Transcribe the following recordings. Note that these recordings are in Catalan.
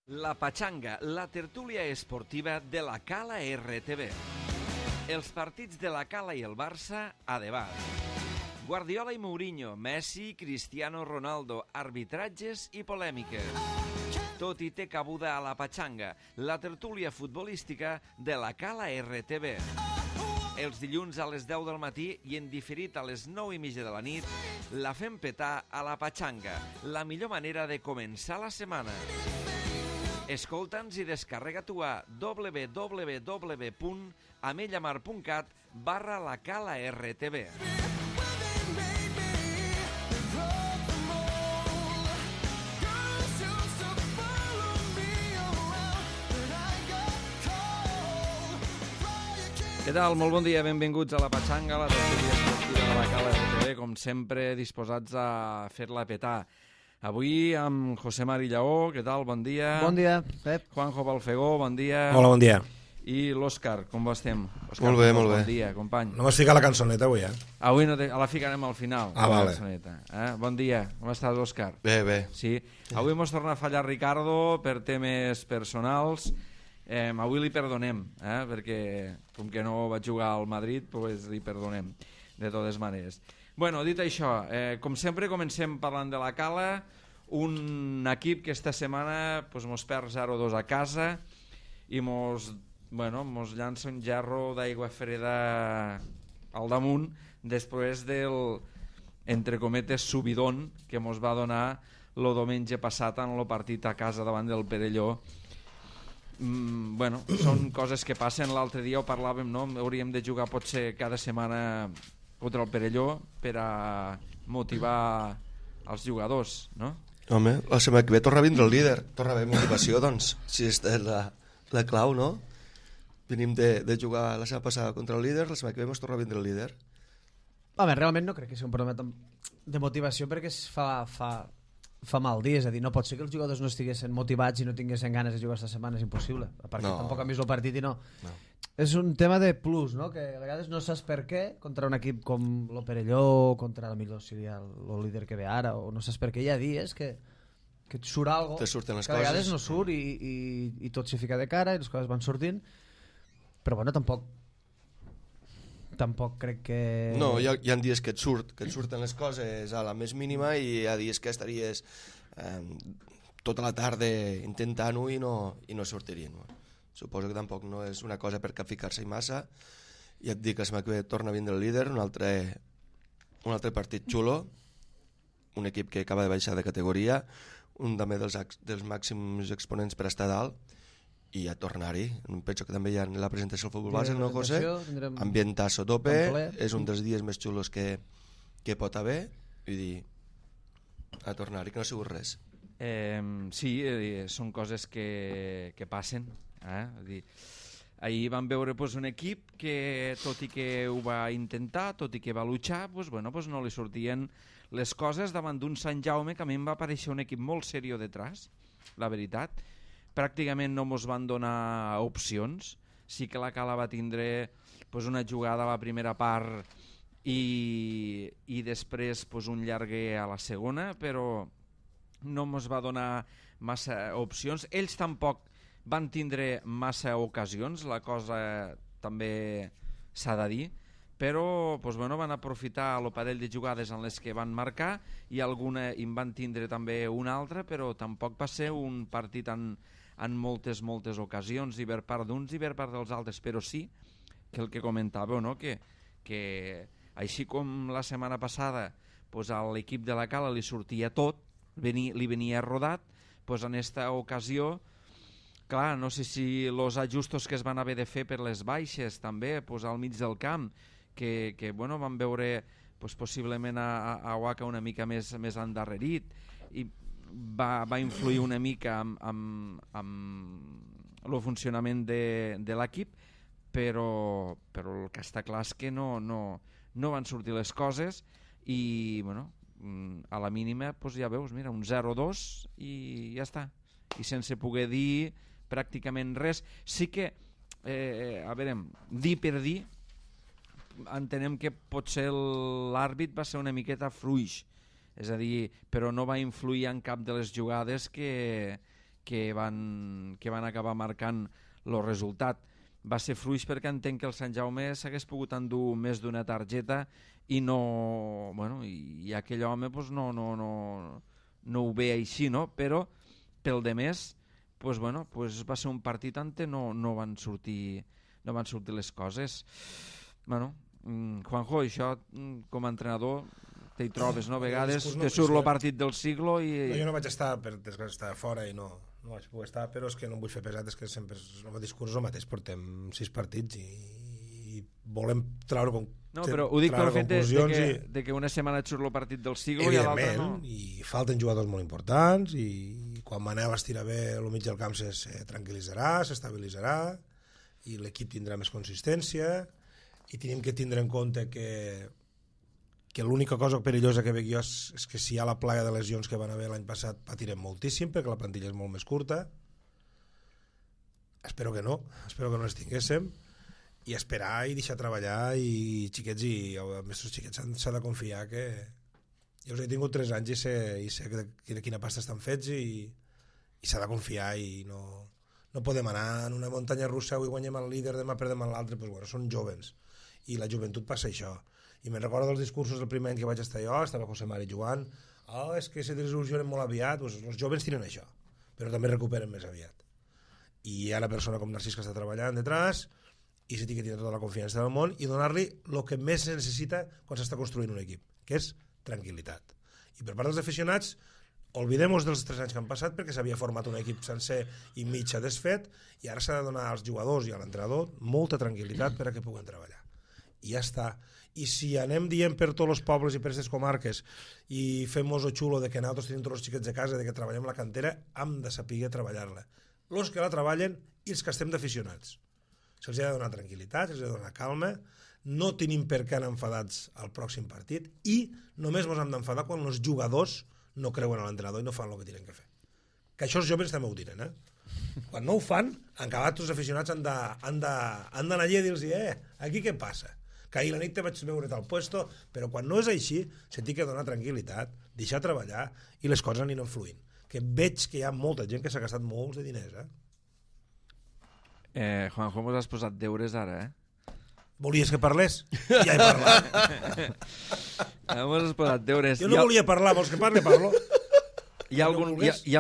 La Pachanga, la tertúlia esportiva de la Cala RTV. Els partits de la Cala i el Barça a debat. Guardiola i Mourinho, Messi, Cristiano Ronaldo, arbitratges i polèmiques. Tot hi té cabuda a la Pachanga, la tertúlia futbolística de la Cala RTV. Els dilluns a les 10 del matí i en diferit a les 9:30 de la nit, la fem petar a la Pachanga, la millor manera de començar la setmana. Escolta'ns i descarrega-t'ho a www.amellamar.cat/lacala-rtv. Què tal? Molt bon dia, benvinguts a la Pachanga, la tertúlia esportiva de la Cala RTV, com sempre disposats a fer-la petar. Avui amb José Mari Lleó, què tal? Bon dia. Bon dia, Pep. Juanjo Balfegó, bon dia. Hola, bon dia. I l'Òscar, com estem? Òscar, Molt bé, molt bé. Bon dia, company. No m'has ficat la cançoneta avui, Avui no la ficarem al final. Vale. Bon dia, com estàs, Òscar? Bé, bé. Sí. Avui mos torna a fallar Ricardo per temes personals. Avui li perdonem, perquè com que no vaig jugar al Madrid, pues li perdonem, de totes maneres. Bueno, dit això, com sempre comencem parlant de la Cala, un equip que esta setmana pues, mos perd 0-2 a casa i mos llança un gerro d'aigua freda al damunt després del, entre cometes, subidón que mos va donar el diumenge passat en el partit a casa davant del Perelló. Són coses que passen. L'altre dia ho parlàvem, no? Hauríem de jugar potser cada setmana contra el Perelló per a motivar els jugadors, no? Home, la setmana que ve torna a vindre el líder, torna a haver motivació, doncs, si és la clau, no? Venim de jugar la setmana passada contra el líder, la setmana que ve ens torna a vindre el líder. Home, realment no crec que sigui un problema de motivació, perquè es fa mal dia, és a dir, no pot ser que els jugadors no estiguessin motivats i no tinguessin ganes de jugar esta setmana, és impossible, perquè tampoc han vist el partit i no. És un tema de plus, no? Que a vegades no saps per què contra un equip com el Perelló, contra el millor seria el líder que ve ara, o no saps per què hi ha dies que et surt alguna cosa, surten les que a vegades no surt i tot s'hi fica de cara i les coses van sortint, però bueno, tampoc crec que... No, hi ha dies que et surten les coses a la més mínima i hi ha dies que estaries tota la tarda intentant-ho i no sortirien. Suposo que tampoc no és una cosa per capficar-se massa. Ja et dic que la setmana que ve torna a vindre el líder, un altre partit xulo, un equip que acaba de baixar de categoria, un també dels màxims exponents per estar dalt, i ja tornar-hi. Penso que també hi ha la presentació del futbol base, no, José? Ambientazo a tope, és un dels dies més xulos que pot haver, vull dir, a tornar-hi, que no ha sigut res. Sí, són coses que passen. Ahir vam veure un equip que, tot i que ho va intentar, tot i que va luchar, no li sortien les coses davant d'un Sant Jaume que a mi em va aparèixer un equip molt seriós detrás, la veritat. Pràcticament no mos van donar opcions. Sí que la Cala va tindre una jugada a la primera part i després un llarguer a la segona, però no mos va donar massa opcions. Ells tampoc van tindre massa ocasions, la cosa també s'ha de dir, però van aprofitar el parell de jugades en les que van marcar i alguna en van tindre també una altra, però tampoc va ser un partit en moltes ocasions, i per part d'uns i per part dels altres, però sí que el que comentàveu, no? que així com la setmana passada a l'equip de la Cala li sortia tot, li venia rodat, en esta ocasió, clar, no sé si els ajustos que es van haver de fer per les baixes també, al mig del camp, que van veure possiblement a Waka una mica més endarrerit, i va influir una mica amb el funcionament de l'equip, però el que està clar és que no van sortir les coses i a la mínima ja veus, mira, un 0-2 i ja està, i sense poder dir pràcticament res. Sí que dir per dir, entenem que potser l'àrbit va ser una miqueta fluix, és a dir, però no va influir en cap de les jugades que que van acabar marcant el resultat. Va ser fluix perquè entenc que el Sant Jaume s'hagués pogut endur més d'una targeta i no... Bueno, i aquell home pues, no ho ve així, no? Però pel de més pues, bueno, pues va ser un partit on no van sortir les coses. Bueno, Juanjo, això com a entrenador t'hi trobes, no? A vegades te surt el partit del siglo i... Jo no vaig estar, per desgràcia, estava fora i no vaig poder estar, però és que no em vull fer pesat, és que sempre el discurs és el mateix, portem 6 partits i volem treure No, però ho dic pel fet de que una setmana et surt el partit del siglo i a l'altra no. I falten jugadors molt importants i quan Manel estira bé el mig del camp se tranquil·litzarà, s'estabilitzarà i l'equip tindrà més consistència i tenim que tindre en compte que l'única cosa perillosa que veig jo és que si hi ha la plaga de lesions que van haver l'any passat patirem moltíssim perquè la plantilla és molt més curta. Espero que no les tinguéssim i esperar i deixar treballar i xiquets i els nostres xiquets s'ha de confiar que jo els he tingut 3 anys i sé de quina pasta estan fets i s'ha de confiar i no podem anar en una muntanya russa, avui guanyem el líder, demà perdem l'altre, doncs bueno, són jovens i la joventut passa això. I me'n recordo dels discursos del primer any que vaig estar jo, estava José Mari jugant, és que se desil·lusionen molt aviat, doncs els jovens tenen això, però també recuperen més aviat. I hi ha una persona com Narcís que està treballant detrás i se té que tenir tota la confiança del món i donar-li el que més se necessita quan s'està construint un equip, que és tranquil·litat. I per part dels aficionats, oblidem-nos dels 3 anys que han passat perquè s'havia format un equip sencer i mig desfet i ara s'ha de donar als jugadors i a l'entrenador molta tranquil·litat per a que puguen treballar. I ja està. I si anem dient per tots els pobles i per aquestes comarques i fem-nos el xulo de que nosaltres tenim tots els xiquets de casa, de que treballem la cantera, hem de saber treballar-la. Els que la treballen i els que estem d'aficionats. Se'ls ha de donar tranquil·litat, se'ls ha de donar calma, no tenim per què anar enfadats al pròxim partit i només ens hem d'enfadar quan els jugadors no creuen a l'entrenador i no fan el que tenen que fer. Que això els joves també ho diran, Quan no ho fan, en acabat els aficionats han d'anar allà i dir-los aquí què passa? Que ahir la nit te vaig veure tal puesto, però quan no és així, se t'hi ha de donar tranquil·litat, deixar treballar i les coses aniran fluint. Que veig que hi ha molta gent que s'ha gastat molts de diners, Juanjo, mos has posat deures ara, Volies que parlés? Ja he parlat. Mos has posat deures. Jo no volia parlar, vols que parlo? Hi ha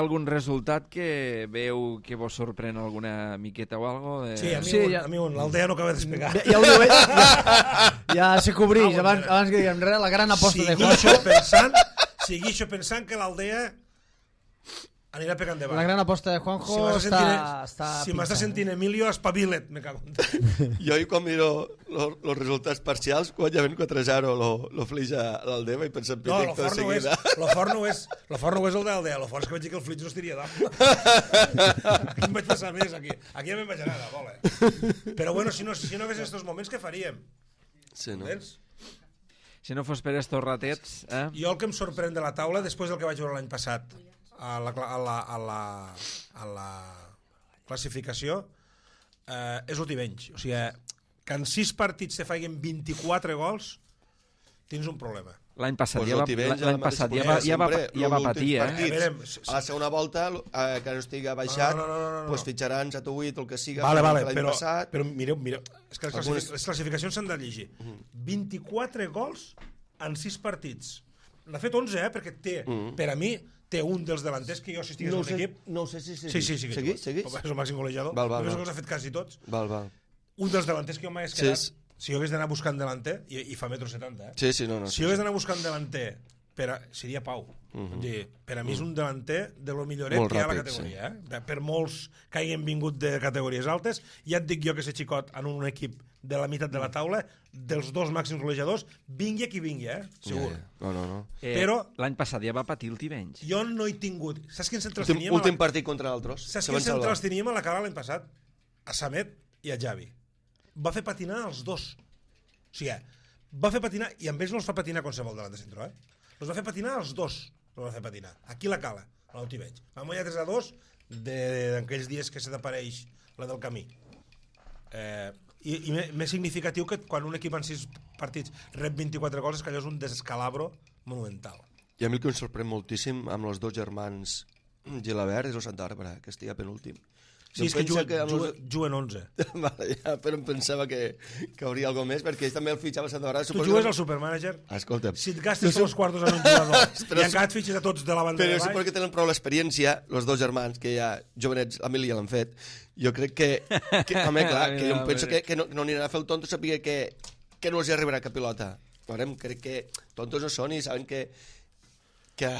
algun resultat que veu que vos sorprèn alguna miqueta o algo? Sí, a mi l'Aldea no acaba de despegar. Ja se cobreix, abans que diguem res, la gran aposta de Juanjo. Seguixo pensant que l'Aldea anirà pegant de baix. La gran aposta de Juanjo Si m'està sentint Emilio, espavila't, me cago en Déu. Jo quan miro els resultats parcials, guanyaven 4-0 lo Flix a l'Aldea i pensem no, tot seguida. Lo fort no és el d'Aldea, lo fort és que vaig dir que el Flix no estiria dalt. Aquí em vaig passar més, aquí ja me'n vaig anar de bola. Però bueno, si no hagués estos moments, què faríem? Sí, no? Si no fos per estos ratets... Jo el que em sorprèn de la taula, després del que vaig veure l'any passat, a la classificació és el Tivenys, o sigui que en 6 partits te faiguen 24 gols tens un problema. L'any passat ja va patir, A la segona volta, que no estigui baixat, doncs fitxaran 7 o 8, el que siga, l'any passat. Però mireu, és que les classificacions s'han de llegir. 24 gols en 6 partits. N'ha fet 11, perquè té, per a mi, té un dels delanters que jo, si estigués en un equip... No sé si seguís. És el màxim golejador. Només els ha fet quasi tots. Un dels delanters que jo m'hagués quedat... Si jo hagués d'anar buscant delanter, i fa 1,70 m, si jo hagués d'anar buscant delanter, seria Pau. Per a mi és un delanter de lo milloret que hi ha a la categoria. Per molts que hagin vingut de categories altes, ja et dic jo que ser xicot en un equip de la meitat de la taula, dels 2 màxims golejadors, vingui qui vingui, segur. No. Però l'any passat ja va patir el Tivenys. Jo no he tingut... Saps quins centrals teníem? Últim partit contra l'altres. Saps quins centrals teníem a la cara l'any passat? A Samet i a Javi. Va fer patinar els dos. O sigui, va fer patinar, i amb ells no els fa patinar qualsevol davant de centre, els va fer patinar els dos. Els va fer patinar. Aquí la cala, a l'Otiveig. Vam guanyar 3-2 d'aquells dies que se t'apareix la del camí. I més significatiu que quan un equip en 6 partits rep 24 gols és que allò és un descalabro monumental. I a mi el que em sorprèn moltíssim amb els 2 germans Gilabert és el Santa Bàrbara, que estigui penúltim. Sí, és que juguen 11. Vale, ja, però em pensava que hauria alguna més, perquè ells també el fitxava a Santa Bàrbara. Tu jugues al Supermanager? Escolta'm. Si et gastes tots els quartos en un jugador i encara et fitxes a tots de la banda de baix... Però suposo que tenen prou l'experiència, els dos germans, que ja jovenets, l'Emili ja l'han fet. Jo crec que home, clar, que jo em penso que no aniran a fer el tonto saber que no els arribarà cap pilota. Veurem, crec que tontos no són i saben que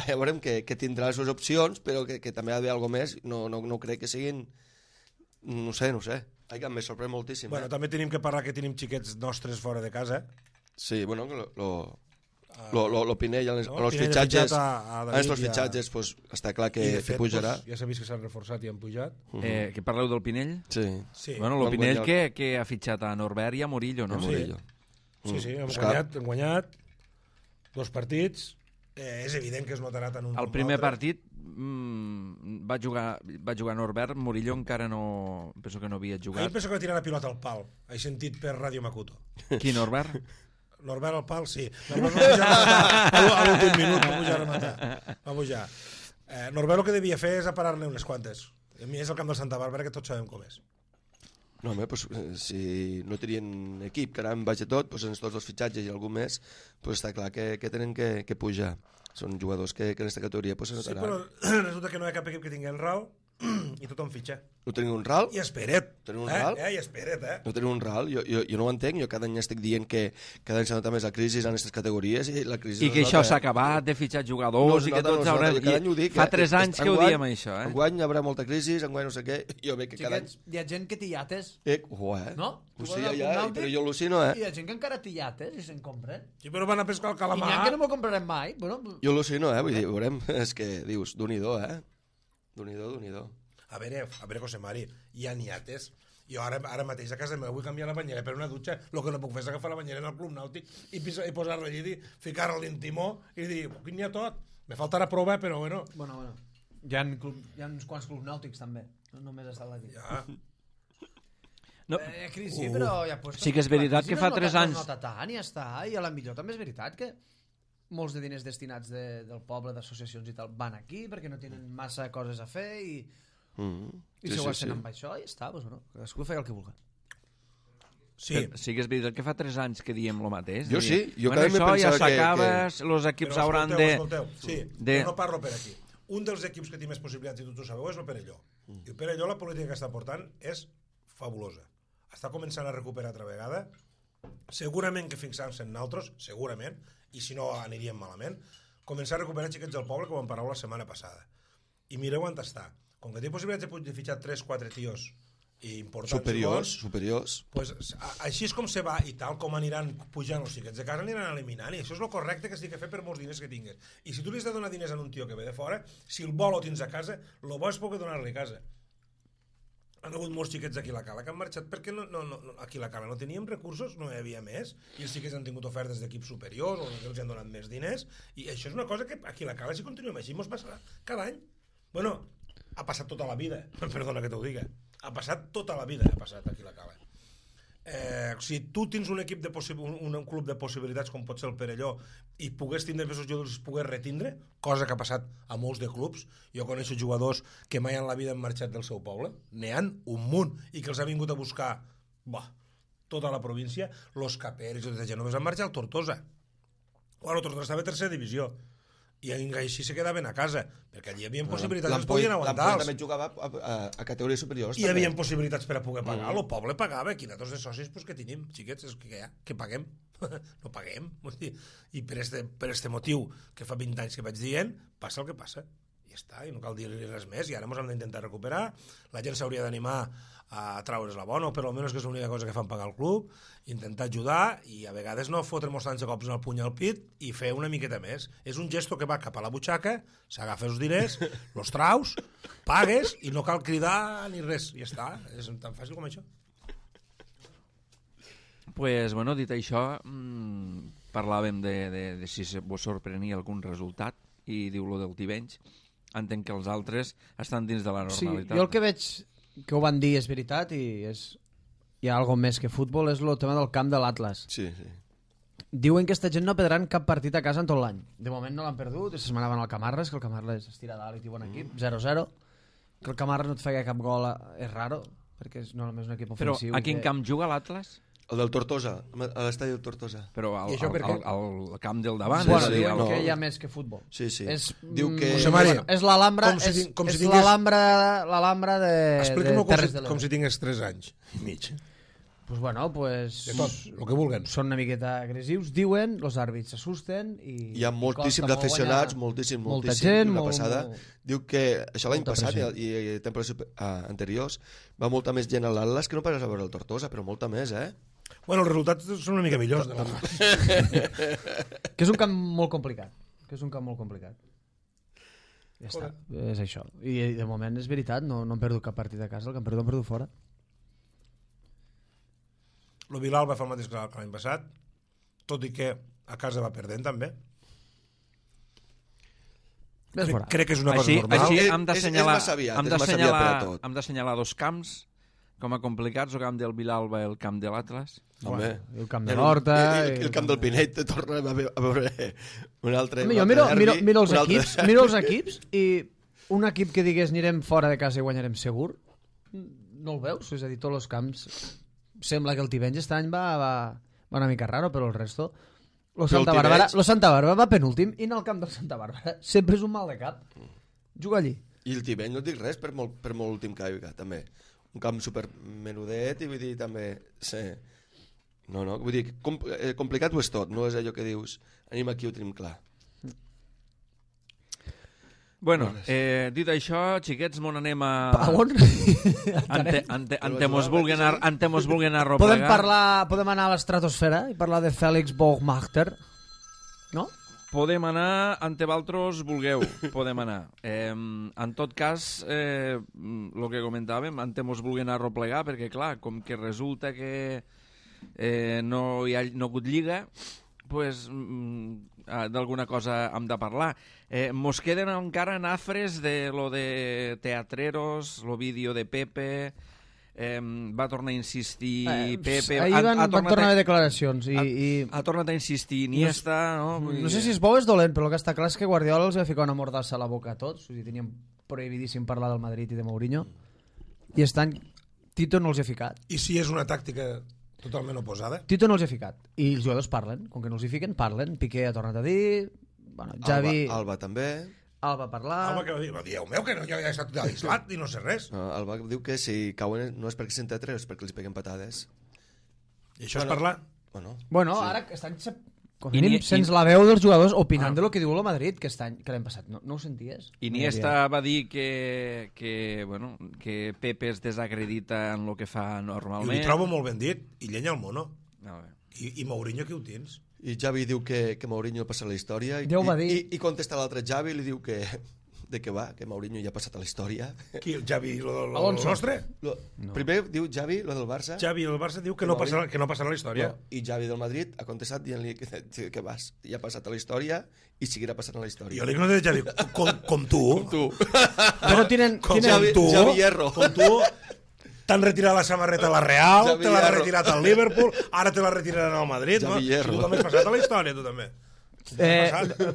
veurem que tindrà les seves opcions, però que també ha d'haver alguna més. No crec que siguin... No sé. Ai, que em sorprèn moltíssim. Bueno, també tenim que parlar que tenim xiquets nostres fora de casa. Sí, bueno, lo Pinell, en els fitxatges, pues, està clar que pujarà. Ja s'ha vist que s'han reforçat i han pujat. Que parleu del Pinell? Sí. Bueno, el Pinell que ha fitxat a Norbert i a Murillo, no? Sí, hem guanyat 2 partits. És evident que es notarà tant un el primer partit va jugar Norbert, Murillo encara no... Penso que no havia jugat. Ahir penso que va tirar la pilota al pal. He sentit per Ràdio Makuto. Qui, Norbert? Norbert al pal, sí. Norbert va pujar a matar a l'últim minut. Va pujar. Norbert el que devia fer és aparar-ne unes quantes. A mi és el camp del Santa Bàrbara, que tots sabem com és. No, home, pues, si no tenien equip, que ara en vaig a tot, pues, en tots els fitxatges i algú més, pues, està clar que tenen que pujar. Són jugadors que en aquesta categoria pues, se notaran. Sí, però resulta que no hi ha cap equip que tingui en RAL i tothom fitxa. No teniu un RAL? I espera't. Teniu un RAL? I espera't, No teniu un RAL? Jo no ho entenc. Jo cada any estic dient que cada any s'ha notat més la crisi en aquestes categories i la crisi... I que això s'ha acabat de fitxar jugadors i que tots haurem... Fa 3 anys que ho diem, això, eh? Enguany hi haurà molta crisi, enguany no sé què... Jo veig que cada any... Hi ha gent que té iates. No? Sí, però jo al·lucino, Hi ha gent que encara té iates i se'n compren. Sí, però van a pescar el calamar. I n'hi ha que no m'ho comprarem mai. Jo al·lucino, vull dir, veurem, és que dius, Déu-n'hi-do, Déu-n'hi-do. A veure, José Mari, hi ha niates. Jo ara mateix a casa meva vull canviar la banyera per una dutxa. El que no puc fer és agafar la banyera en el club nàutic i posar-la allí, ficar-la a l'intimó i dir, aquí n'hi ha tot. Me faltarà prova, però bueno. Bueno. Hi ha uns quants clubs nàutics també. No només està aquí. Ja. No. Crisi, però ja pues, sí que és veritat que fa 3 anys... No nota tant i ja està. I a la millor també és veritat que molts de diners destinats del poble, d'associacions i tal, van aquí perquè no tenen massa coses a fer i si ho hacen amb això i ja està, cadascú feia el que vulgui. Sí. Sí que és veritat que fa 3 anys que diem el mateix. Jo sí, jo cada any això ja s'acaba, els equips hauran de... Sí, no parlo per aquí. Un dels equips que té més possibilitats, i tots ho sabeu, és el Perelló. I el Perelló, la política que està portant és fabulosa. Està començant a recuperar altra vegada. Segurament que fixant-se en altres, segurament, i si no aniríem malament, començar a recuperar xiquets del poble, com en parlàveu la setmana passada. I mireu on està. Com que té possibilitats de fitxar 3-4 tios importants superiors, pues, així és com se va, i tal com aniran pujant els xiquets de casa, aniran eliminant, i això és el correcte que s'ha de fer per molts diners que tingues. I si tu li has de donar diners a un tio que ve de fora, si el vol o tens a casa, el bo és poder donar-li a casa. Han hagut molts xiquets aquí a la Cala que han marxat perquè aquí a la Cala no teníem recursos, no hi havia més, i els xiquets han tingut ofertes d'equips superiors o que els han donat més diners, i això és una cosa que aquí a la Cala si continuem així ens passarà cada any. Bueno, ha passat tota la vida, perdona que t'ho digui, ha passat tota la vida, ha passat aquí a la Cala. Si tu tens un equip un club de possibilitats com pot ser el Perelló i pogués tindre més jugadors, pogués retindre, cosa que ha passat a molts de clubs. Jo coneixo jugadors que mai en la vida han marxat del seu poble, n'hi ha un munt, i que els ha vingut a buscar tota la província. Los Caperes i tota gent només han marxat al Tortosa. El Tortosa estava a tercera divisió i així se quedaven a casa perquè allí hi havia possibilitats, es podien aguantar. L'Ampoll també jugava a categories superiors. Hi havia possibilitats per a poder pagar, el poble pagava, aquí nosaltres de socis pues, que tenim, xiquets, que paguem, no paguem, i per este motiu que fa 20 anys que vaig dient, passa el que passa, i ja està, i no cal dir-li res més, i ara ens hem d'intentar recuperar, la gent s'hauria d'animar a traure's la bona, o per almenys que és l'única cosa que fan pagar el club, intentar ajudar i a vegades no fotre-nos tants cops en el puny al pit i fer una miqueta més. És un gesto que va cap a la butxaca, s'agafa els diners, los traus, pagues i no cal cridar ni res, i ja està, és tan fàcil com això. Pues, bueno, dit això, parlàvem de si vos sorprenia algun resultat i diu lo del Tivenys. Entenc que els altres estan dins de la normalitat. Sí, jo el que veig que ho van dir és veritat i hi ha alguna més que futbol, és el tema del camp de l'Atlas. Sí. Diuen que aquesta gent no perdran cap partit a casa en tot l'any. De moment no l'han perdut, aquesta setmana van al Camarles, que el Camarles es tira dalt i té bon equip, 0-0. Que el Camarles no et feia cap gol és raro, perquè és normalment un equip Però ofensiu. a quin camp juga l'Atlas? El del Tortosa, a l'estadi del Tortosa. Però I això per què? al camp del davant. Bueno, és a dir, diuen no. que hi ha més que futbol. Sí, sí. És, Diu que... José Mari, és l'Alhambra, com si és, com si és tingués- l'Alhambra de Explica'm-ho Terres de com si l'Ebre. tingués 3 anys i mig. Pues bueno, pues... De tot, el que vulguen. Són una miqueta agressius, diuen, els àrbits s'assusten i... Hi ha moltíssims costa molt aficionats, guanyar. moltíssim, molta moltíssim. gent, una molt- passada. molt- Diu que això l'any molta passat pressió. i temporades anteriors va molta més gent a l'Atlas que no pas a veure el Tortosa, però molta més, eh? Bueno, els resultats són una mica millors. De Que és un camp molt complicat. Ja està, és això. I de moment és veritat, no han perdut cap partit a casa, el que han perdut fora. El Bilal va fer el mateix que l'any passat, tot i que a casa va perdent també. Ves fora. Crec que és una cosa Així, normal. així És- hem és d'assenyalar massa aviat, hem és massa aviat per a tot. d'assenyalar dos camps com a complicats, el camp del Vilalba i el camp de l'Atlas. Home. I el camp de l'Horta... I el camp del Pinet torna a veure un altre... Home, jo miro els equips i un equip que digués anirem fora de casa i guanyarem segur, no el veus? És a dir, tots els camps... Sembla que el Tivenys aquest any va una mica raro, però el resto... Lo Santa Bàrbara va penúltim i en el camp del Santa Bàrbara sempre és un mal de cap. Juga allí. I el Tibeny no et dic res per molt últim que hi ha, també. Un camp super menudet i vull dir també... Sí. No, vull dir, complicat ho és tot, no és allò que dius anem aquí, ho tenim clar. Bueno, dit això, xiquets, mon anem a... A on? Ante mos vulguen a Podem replegar. podem anar a l'estratosfera i parlar de Félix Baumgartner, no? Podem anar ante valtros vulgueu, podem anar. En tot cas, el que comentàvem, ante mos vulguen a replegar, perquè clar, com que resulta que no hi ha hagut lliga, pues, d'alguna cosa hem de parlar. Mos queden encara nafres de lo de Teatreros, lo vídeo de Pepe, va tornar a insistir Pepe... Ahir van tornar a haver declaracions i ha tornat a insistir Iniesta, no? no sé si és bo o és dolent, però el que està clar és que Guardiola els va ficar una mordassa a la boca a tots, o sigui, tenien prohibidíssim parlar del Madrid i de Mourinho, i aquest any Tito no els ha ficat. I si és una tàctica totalment oposada? Tito no els ha ficat, i els jugadors parlen, com que no els hi fiquen, parlen. Piqué ha tornat a dir, bueno, Xavi... Alba també. Alba a parlar... Alba que va dir, dieu meu, que no, jo ja he estat aislat i no sé res. No, Alba diu que si cauen no és perquè senten tres, és perquè els peguen patades. I això és parlar? Bueno, sí. ara aquest any com a mínim sents la veu dels jugadors opinant de lo que diu el Madrid que l'any passat. No ho senties? Iniesta va dir que Pepe es desacredita en el que fa I normalment. ho trobo molt ben dit, i llenya el mono. A veure. I Mourinho, qui ho tens? I Xavi diu que Mourinho ha passat a la història Ja ho va dir. i contesta l'altre Xavi i li diu que que Mourinho ja ha passat a la història. Qui, el Xavi, lo Alonso. nostre? No. Primer diu Xavi, lo del Barça. Xavi, el Barça diu que no passarà a la història. No. I Xavi del Madrid ha contestat dient-li que vas, ja ha passat a la història i seguirà passant a la història. Jo li dic no de Xavi, com tu. Tu. Però tenen... Xavi Hierro. Com tu. T'han retirat la samarreta a la Real, Xavi te l'ha Hierro. retirat al Liverpool, ara te la retiraran al Madrid. Xavi No? Hierro. Tu també has passat a la història, tu també.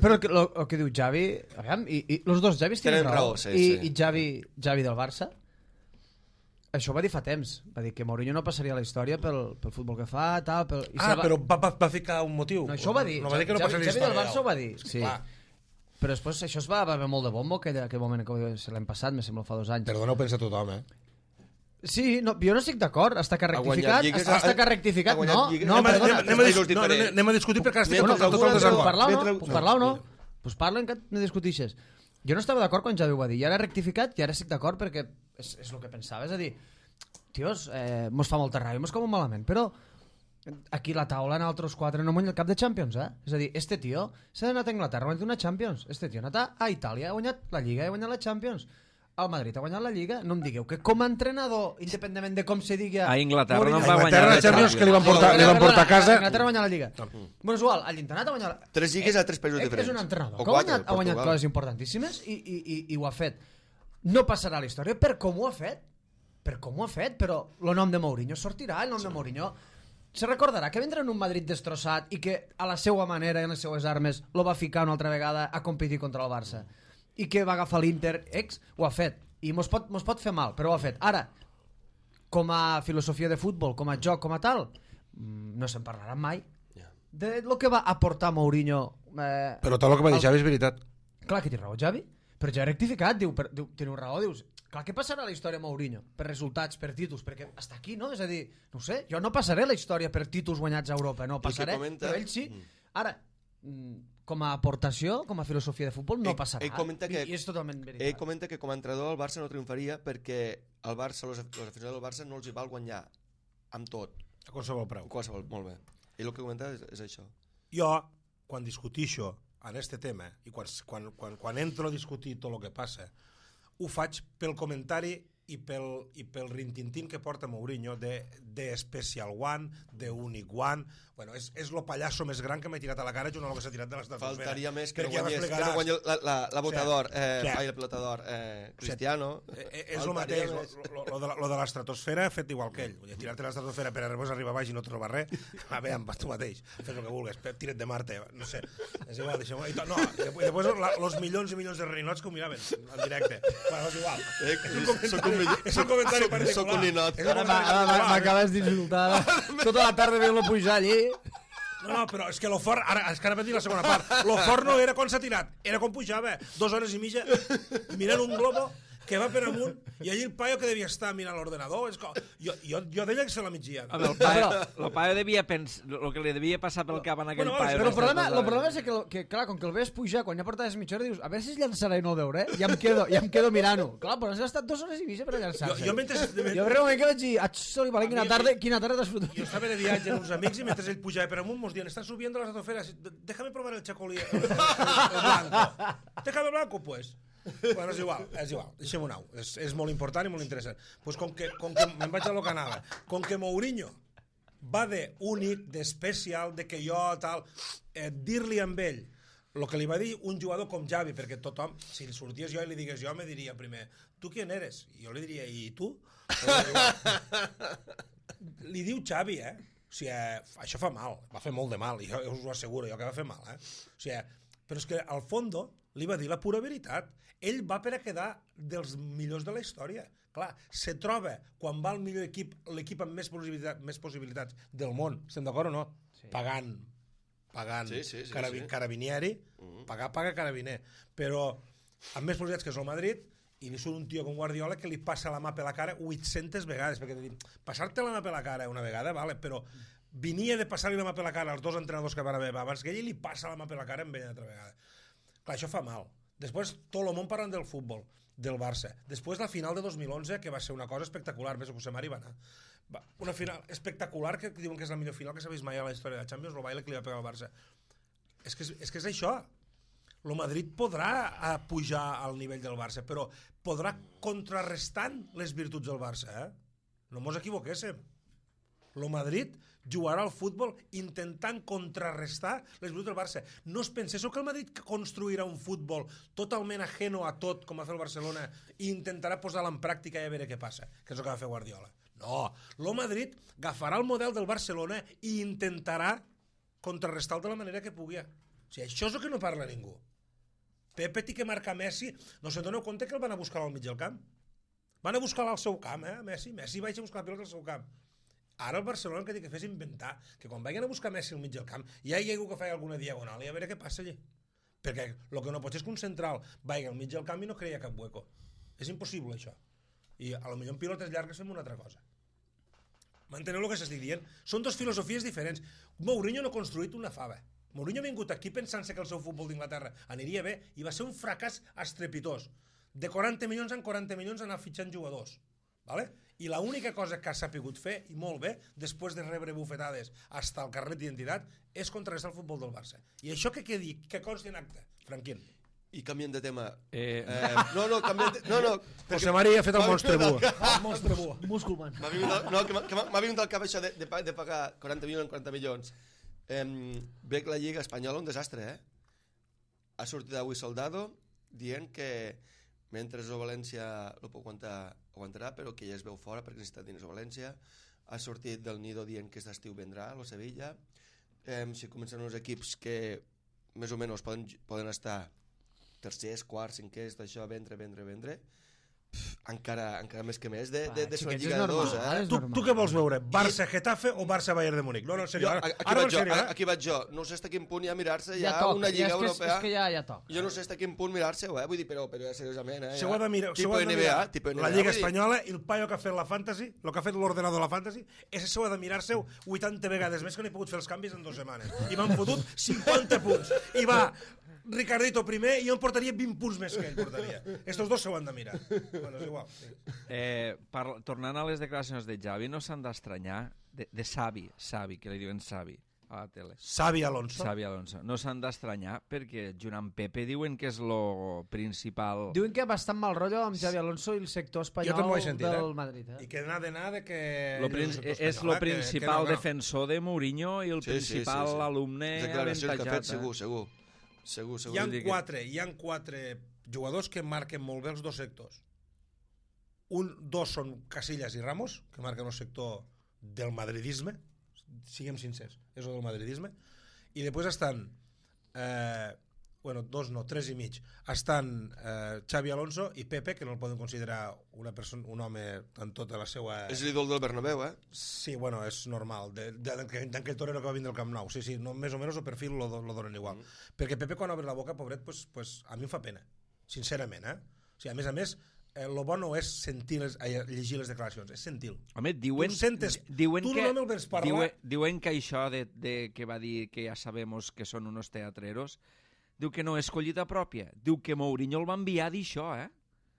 però el que diu Xavi, aviam, i els dos Xavis tenen raó. sí, I Xavi del Barça, això ho va dir fa temps. Va dir que Mourinho no passaria a la història pel futbol que fa, tal... Però va ficar un motiu. No, això ho va dir. No va dir que no passaria a la Xavi del història. Barça ho va dir, sí. Clar. Però després això es va haver molt de bombo aquell moment que l'hem passat, me sembla fa 2 anys. Perdona, ho pensa tothom, Sí, no, jo no estic d'acord, està que rectificat, lligues, està que rectificat, ha guanyat lligues. no, perdona. Anem a discutir perquè ara estic Bueno, tot el puc desacord. parlar o no? Mentre- Puc parlar o no? Pues parlen que no discutixes. Jo no estava d'acord quan Xavi ho va dir, i ara ha rectificat i ara estic d'acord perquè és el que pensava, és a dir, tios, mos fa molta ràbia, mos com malament, però aquí la taula en altres 4 no guanya el cap de Champions, És a dir, este tio s'ha anat a Anglaterra, ha guanyat una Champions, este tio ha anat a Itàlia, ha guanyat la Lliga, ha guanyat la Champions, al Madrid ha guanyat la Lliga, no em digueu que com a entrenador, independentment de com se digui... A Inglaterra no Mourinho- va guanyar Inglaterra, la Champions, que li van Champions. portar a casa. Inglaterra va guanyar la Lliga. Bueno, és igual, l'Internet ha guanyat... 3 lligues a 3 països diferents. És un entrenador O que quatre, ha guanyat Portugal. coses importantíssimes i ho ha fet. No passarà a la història per com ho ha fet. Per com ho ha fet, però el nom de Mourinho sortirà, el nom de Mourinho se recordarà que vindrà en un Madrid destrossat i que a la seva manera i en les seues armes lo va ficar una altra vegada a competir contra el Barça i que va agafar l'Inter ho ha fet i mos pot fer mal, però ho ha fet. Ara, com a filosofia de futbol, com a joc, com a tal, no se'n parlarà mai de lo que va aportar Mourinho. Però tot el que va dir Xavi és veritat. Clar que té raó Xavi, però ja ha rectificat, teniu raó, dius clar, què passarà a la història Mourinho? Per resultats, per títols, perquè està aquí, no? És a dir, no ho sé, jo no passaré la història per títols guanyats a Europa, no passaré, però ell sí. Ara, com a aportació, com a filosofia de futbol, no passarà. I és totalment veritat. Ell comenta que com a entrenador el Barça no triomfaria perquè el Barça, els aficionats del Barça no els hi val guanyar amb tot. A qualsevol preu. Molt bé. Ell el que comenta és això. Jo, quan discutixo en este tema i quan entro a discutir tot el que passa, ho faig pel comentari i pel rintintín que porta Mourinho de Special One, de Unique One. Bueno, és el pallasso més gran que m'he tirat a la cara junt amb el que s'ha tirat de l'estratosfera. Faltaria més que no guanyi la Botador, el Pelotador Cristiano. És el mateix, lo de l'estratosfera fet igual que ell. Tirar-te l'estratosfera per arribar baix i no trobar res, va bé, tu mateix, fes el que vulguis, tira't de Marte, no sé, és igual, deixem-ho. No, i després los milions i milions de rinots que ho miraven en directe. Bueno, és igual. És un comentari particular. Soc un ninot. Ara m'acabes d'insultar. Tota la tarda veient-lo pujar allí. No, però és que lo fort, ara vaig dir la segona part, lo fort no era quan s'ha tirat, era quan pujava, 2 hores i mitja mirant un globo que va per amunt i allí el paio que devia estar mirant l'ordenador, jo deia que se la miggia. El paio devia pensar el que li devia passar pel cap en aquell paio. Però el problema és que clar, com que el ves pujar, quan ja portaves mitja hora dius, a veure si es llançarà i no el veuré, ja em quedo mirant-ho. Clar, però has estat 2 hores i mitja per llançar-se. Jo realment que vaig dir, Soli, quina tarda t'has fotut. Jo estava de viatge amb uns amics i mentre ell pujava per amunt mos diuen, estás subiendo la estratosfera, déjame probar el chacolí, el blanco. Déjame blanco, pues. Bueno, és igual, deixem-ho anar, és molt important i molt interessant. Pues com que me'n vaig a lo que anava, com que Mourinho va d'únic, d'especial, de que jo tal, dir-li amb ell el que li va dir un jugador com Xavi, perquè tothom, si sorties jo i li digués jo, me diria primer, tu qui eres? I jo li diria, i tu? Li diu Xavi, o sigui, això fa mal, va fer molt de mal, i jo us ho asseguro, jo que va fer mal, o sigui, però és que al fondo li va dir la pura veritat. Ell va per a quedar dels millors de la història. Clar, se troba quan va al millor equip, l'equip amb més possibilitats del món, estem d'acord o no? Sí. Pagant carabinieri, paga carabiner, però amb més possibilitats que és el Madrid, i li surt un tio com Guardiola que li passa la mà per la cara 800 vegades, perquè passar-te la mà per la cara una vegada, vale, però venia de passar-li la mà per la cara als 2 entrenadors que van haver abans que ell li passa la mà per la cara amb ell una altra vegada. Clar, això fa mal. Després tot el món parlant del futbol, del Barça. Després la final de 2011, que va ser una cosa espectacular, ves, José Mari va anar. Una final espectacular, que diuen que és la millor final que s'ha vist mai a la història de la Champions, el baile que li va pegar al Barça. És que és això. El Madrid podrà pujar al nivell del Barça, però podrà contrarrestant les virtuts del Barça. No mos equivoquéssim. El Madrid jugarà al futbol intentant contrarrestar les virtuts del Barça. No us penseu que el Madrid construirà un futbol totalment ajeno a tot, com va fer el Barcelona, i intentarà posar-la en pràctica i a veure què passa, que és el que va fer Guardiola. No, el Madrid agafarà el model del Barcelona i intentarà contrarrestar-lo de la manera que pugui. O sigui, això és el que no parla ningú. Pepe té que marcar Messi. No se'n doneu compte que el van a buscar al mig del camp? Van a buscar-lo al seu camp, Messi. Messi va a buscar la pilota al seu camp. Ara el Barcelona el que té que fer és inventar que quan vagin a buscar Messi al mig del camp ja hi ha algú que faci alguna diagonal i a veure què passa allí. Perquè el que no pot ser és que un central vagi al mig del camp i no creia cap hueco. És impossible això. I potser en pilotes llargues fem una altra cosa. M'enteneu el que s'estic dient? Són dues filosofies diferents. Mourinho no ha construït una fava. Mourinho ha vingut aquí pensant-se que el seu futbol d'Inglaterra aniria bé i va ser un fracàs estrepitós. De 40 milions en 40 milions anar fitxant jugadors. Vale? I l'única cosa que ha sapigut fer, i molt bé, després de rebre bufetades fins al carnet d'identitat, és contrarrestar el futbol del Barça. I això que quedi, que consti en acte, Franquín. I canvien de tema. Canvien de... No. José María ha fet el monstre bu. El monstre bu. Musculman. M'ha vingut al cap això de pagar 40 milions en 40 milions. Veig la Lliga Espanyola un desastre, Ha sortit avui Soldado dient que mentre el València no pot aguantarà, però que ja es veu fora perquè necessita diners a València. ha sortit del nido dient que aquest estiu vendrà a Sevilla. Si comencen uns equips que més o menys poden estar tercers, quarts, cinquers, d'això, vendre, encara més que més de ser una lliga de dos, Tu què vols veure? Barça-Getafe o Barça-Bayern de Múnich? No, en sèrio. Aquí vaig jo. No sé fins a quin punt hi ha mirar-se ja una lliga europea. És que ja toca. Jo no sé fins a quin punt mirar-se-ho, vull dir, però ja seriosament. Se ho ha de mirar. La Lliga Espanyola, el paio que ha fet la Fantasy, el que ha fet l'ordenador de la Fantasy, ese s'ho ha de mirar-se 80 vegades més que no he pogut fer els canvis en 2 setmanes. I m'han fotut 50 punts. I va Ricardito primer i jo em portaria 20 punts més que ell portaria. Estos dos s'ho han de mirar. Bueno, és igual. Tornant a les declaracions de Xavi, no s'han d'estranyar de Xavi, que li diuen Xavi a la tele. Xavi Alonso. No s'han d'estranyar perquè junt amb Pepe diuen que és lo principal... Diuen que bastant mal rotllo amb Xavi Alonso i el sector espanyol del Madrid. I que n'ha de que... És el principal defensor de Mourinho i el principal alumne avantatjat. Segur. Hi ha 4 jugadors que marquen molt bé els dos sectors. Dos són Casillas i Ramos, que marquen el sector del madridisme, siguem sincers, és el del madridisme, i després estan 3 i mig, estan Xavi Alonso i Pepe, que no el poden considerar un home en tota la seva... És l'ídol del Bernabéu, Sí, bueno, és normal, d'aquell torero que va vindre al Camp Nou, sí, no, més o menys el perfil lo donen igual, perquè Pepe quan obre la boca, pobret, pues a mi em fa pena, sincerament, O sigui, a més, lo bo no és llegir les declaracions, és sentir-lo. Home, diuen que això que va dir que ja sabemos que són unos teatreros, diu que no és collita pròpia, diu que Mourinho el va enviar a dir això,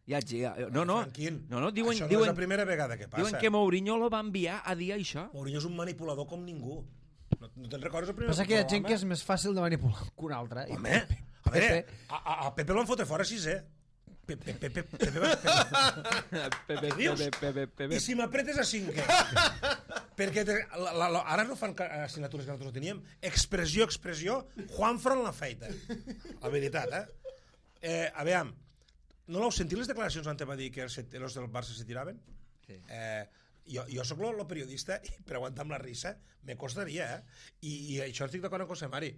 Diuen, això no és la primera vegada que passa. Diuen que Mourinho lo va enviar a dir això. Mourinho és un manipulador com ningú. No te'n recordes el primer? Passa que hi ha gent que és més fàcil de manipular que un altre. Home, a veure, a Pepe l'han fotre fora 6è. Pepe. I si m'apretes a 5è? Perquè ara no fan assignatures que nosaltres teníem. Expressió, Juanfran la feita. La veritat, A veure, no l'heu sentit les declaracions on va dir que els del Barça se tiraven? Sí. Jo sóc el periodista i per aguantar amb la risa me costaria, I això estic d'acord amb José Mari.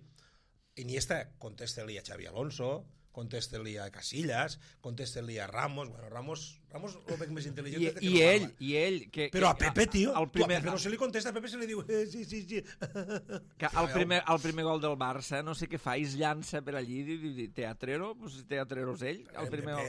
Iniesta, contesta-li a Xavi Alonso, contesta-li a Casillas, contesta-li a Ramos. Bueno, Ramos el veig més intel·ligent i ell però a Pepe, tio, a Pepe no se li contesta, a Pepe se li diu sí. Que al primer gol del Barça no sé què fa, es llança per allí teatrero, pues teatrero és ell el primer gol.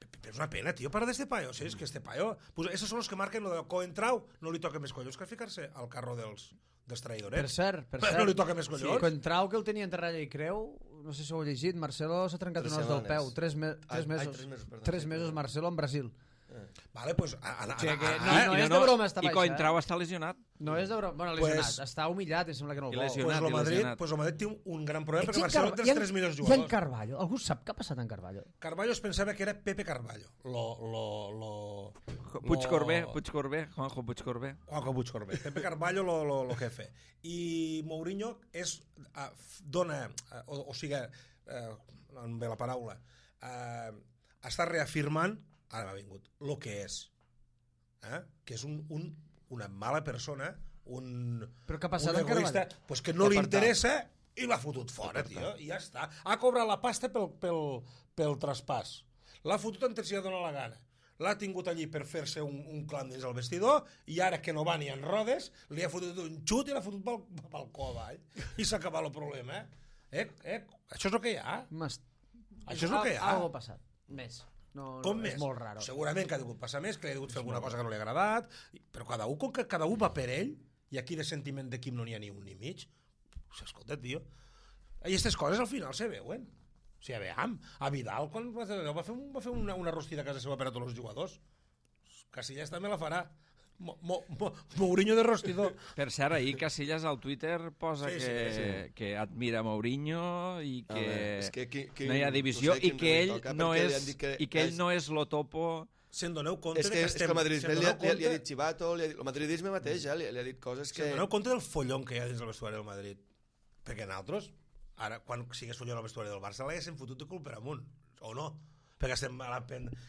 Pepe és una pena, tio, para de este paio, és que este paio, pues esos son los que marquen lo de Coentrao, no li toca més collons que ficar-se al carro dels traïdorets. Per cert, no li toca més collons. Coentrao, que el tenia entre ratlla i creu, no sé si ho heu llegit, Marcelo s'ha trencat un os del peu, 3 mesos Marcelo en Brasil. Vale, pues no és de broma, està baix. I Coentrao està lesionat. No és de broma, bueno, lesionat, està humillat, em sembla que no el vol. Pues el Madrid té un gran problema perquè Marcelo té els 3 millors jugadors. I en Carvalho, algú sap què ha passat en Carvalho? Carvalho es pensava que era Pepe Carvalho. Puigcorbé, Juanjo Puigcorbé. Pepe Carvalho lo jefe. I Mourinho dona, o sigui, amb la paraula, està reafirmant, ara m'ha vingut, el que és. Que és una mala persona, Però què ha passat un en Carvalho? Pues que no li interessa i l'ha fotut fora, tio, i ja està. Ha cobrat la pasta pel traspàs. L'ha fotut on si ha donat la gana. L'ha tingut allí per fer-se un clam dins el vestidor i ara que no va ni en rodes li ha fotut un xut i l'ha fotut pel cul avall i s'ha acabat el problema. Això és el que hi ha. Això és el que hi ha. Algo ha passat. Més. Com més? És molt raro. Segurament que ha degut passar més, que ha degut fer alguna cosa que no li ha agradat, però com que cada un va per ell, i aquí de sentiment d'equip no n'hi ha ni un ni mig, escolta, tio, i aquestes coses al final se veuen. O sigui, a Vidal, quan va fer una rostida a casa seva per a tots els jugadors, Casillas també la farà. Mourinho de rostidor. Per cert, ahir Casillas al Twitter posa que admira Mourinho i que no hi ha divisió i que ell no és lo topo. Se'n doneu compte que el madridisme li ha dit Chivato, el madridisme mateix li ha dit coses que... Se'n doneu compte del follon que hi ha dins el vestuari del Madrid? Perquè nosaltres, ara, quan sigués follon al vestuari del Barça, l'haguessin fotut de cul per amunt, o no? perquè estem a la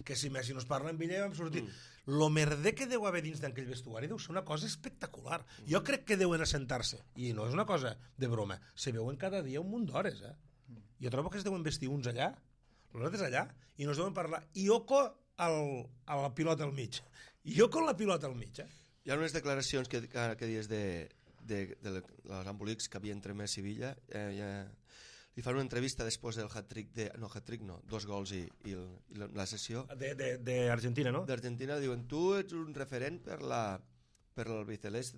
que si Messi no es parla amb ell vam sortir. Lo merder que deu haver dins d'aquell vestuari deu ser una cosa espectacular. Jo crec que deuen assentar-se, i no és una cosa de broma, se veuen cada dia un munt d'hores, Jo trobo que es deuen vestir uns allà, els altres allà, i no es deuen parlar. I Oco a la pilota al mig. I Oco la pilota al mig, Hi ha unes declaracions que dies de les embolics que havia entre Messi i Villa, li fan una entrevista després del hat-trick, dos gols i la sessió d'Argentina, no? d'Argentina, diuen, tu ets un referent per l'albiceleste,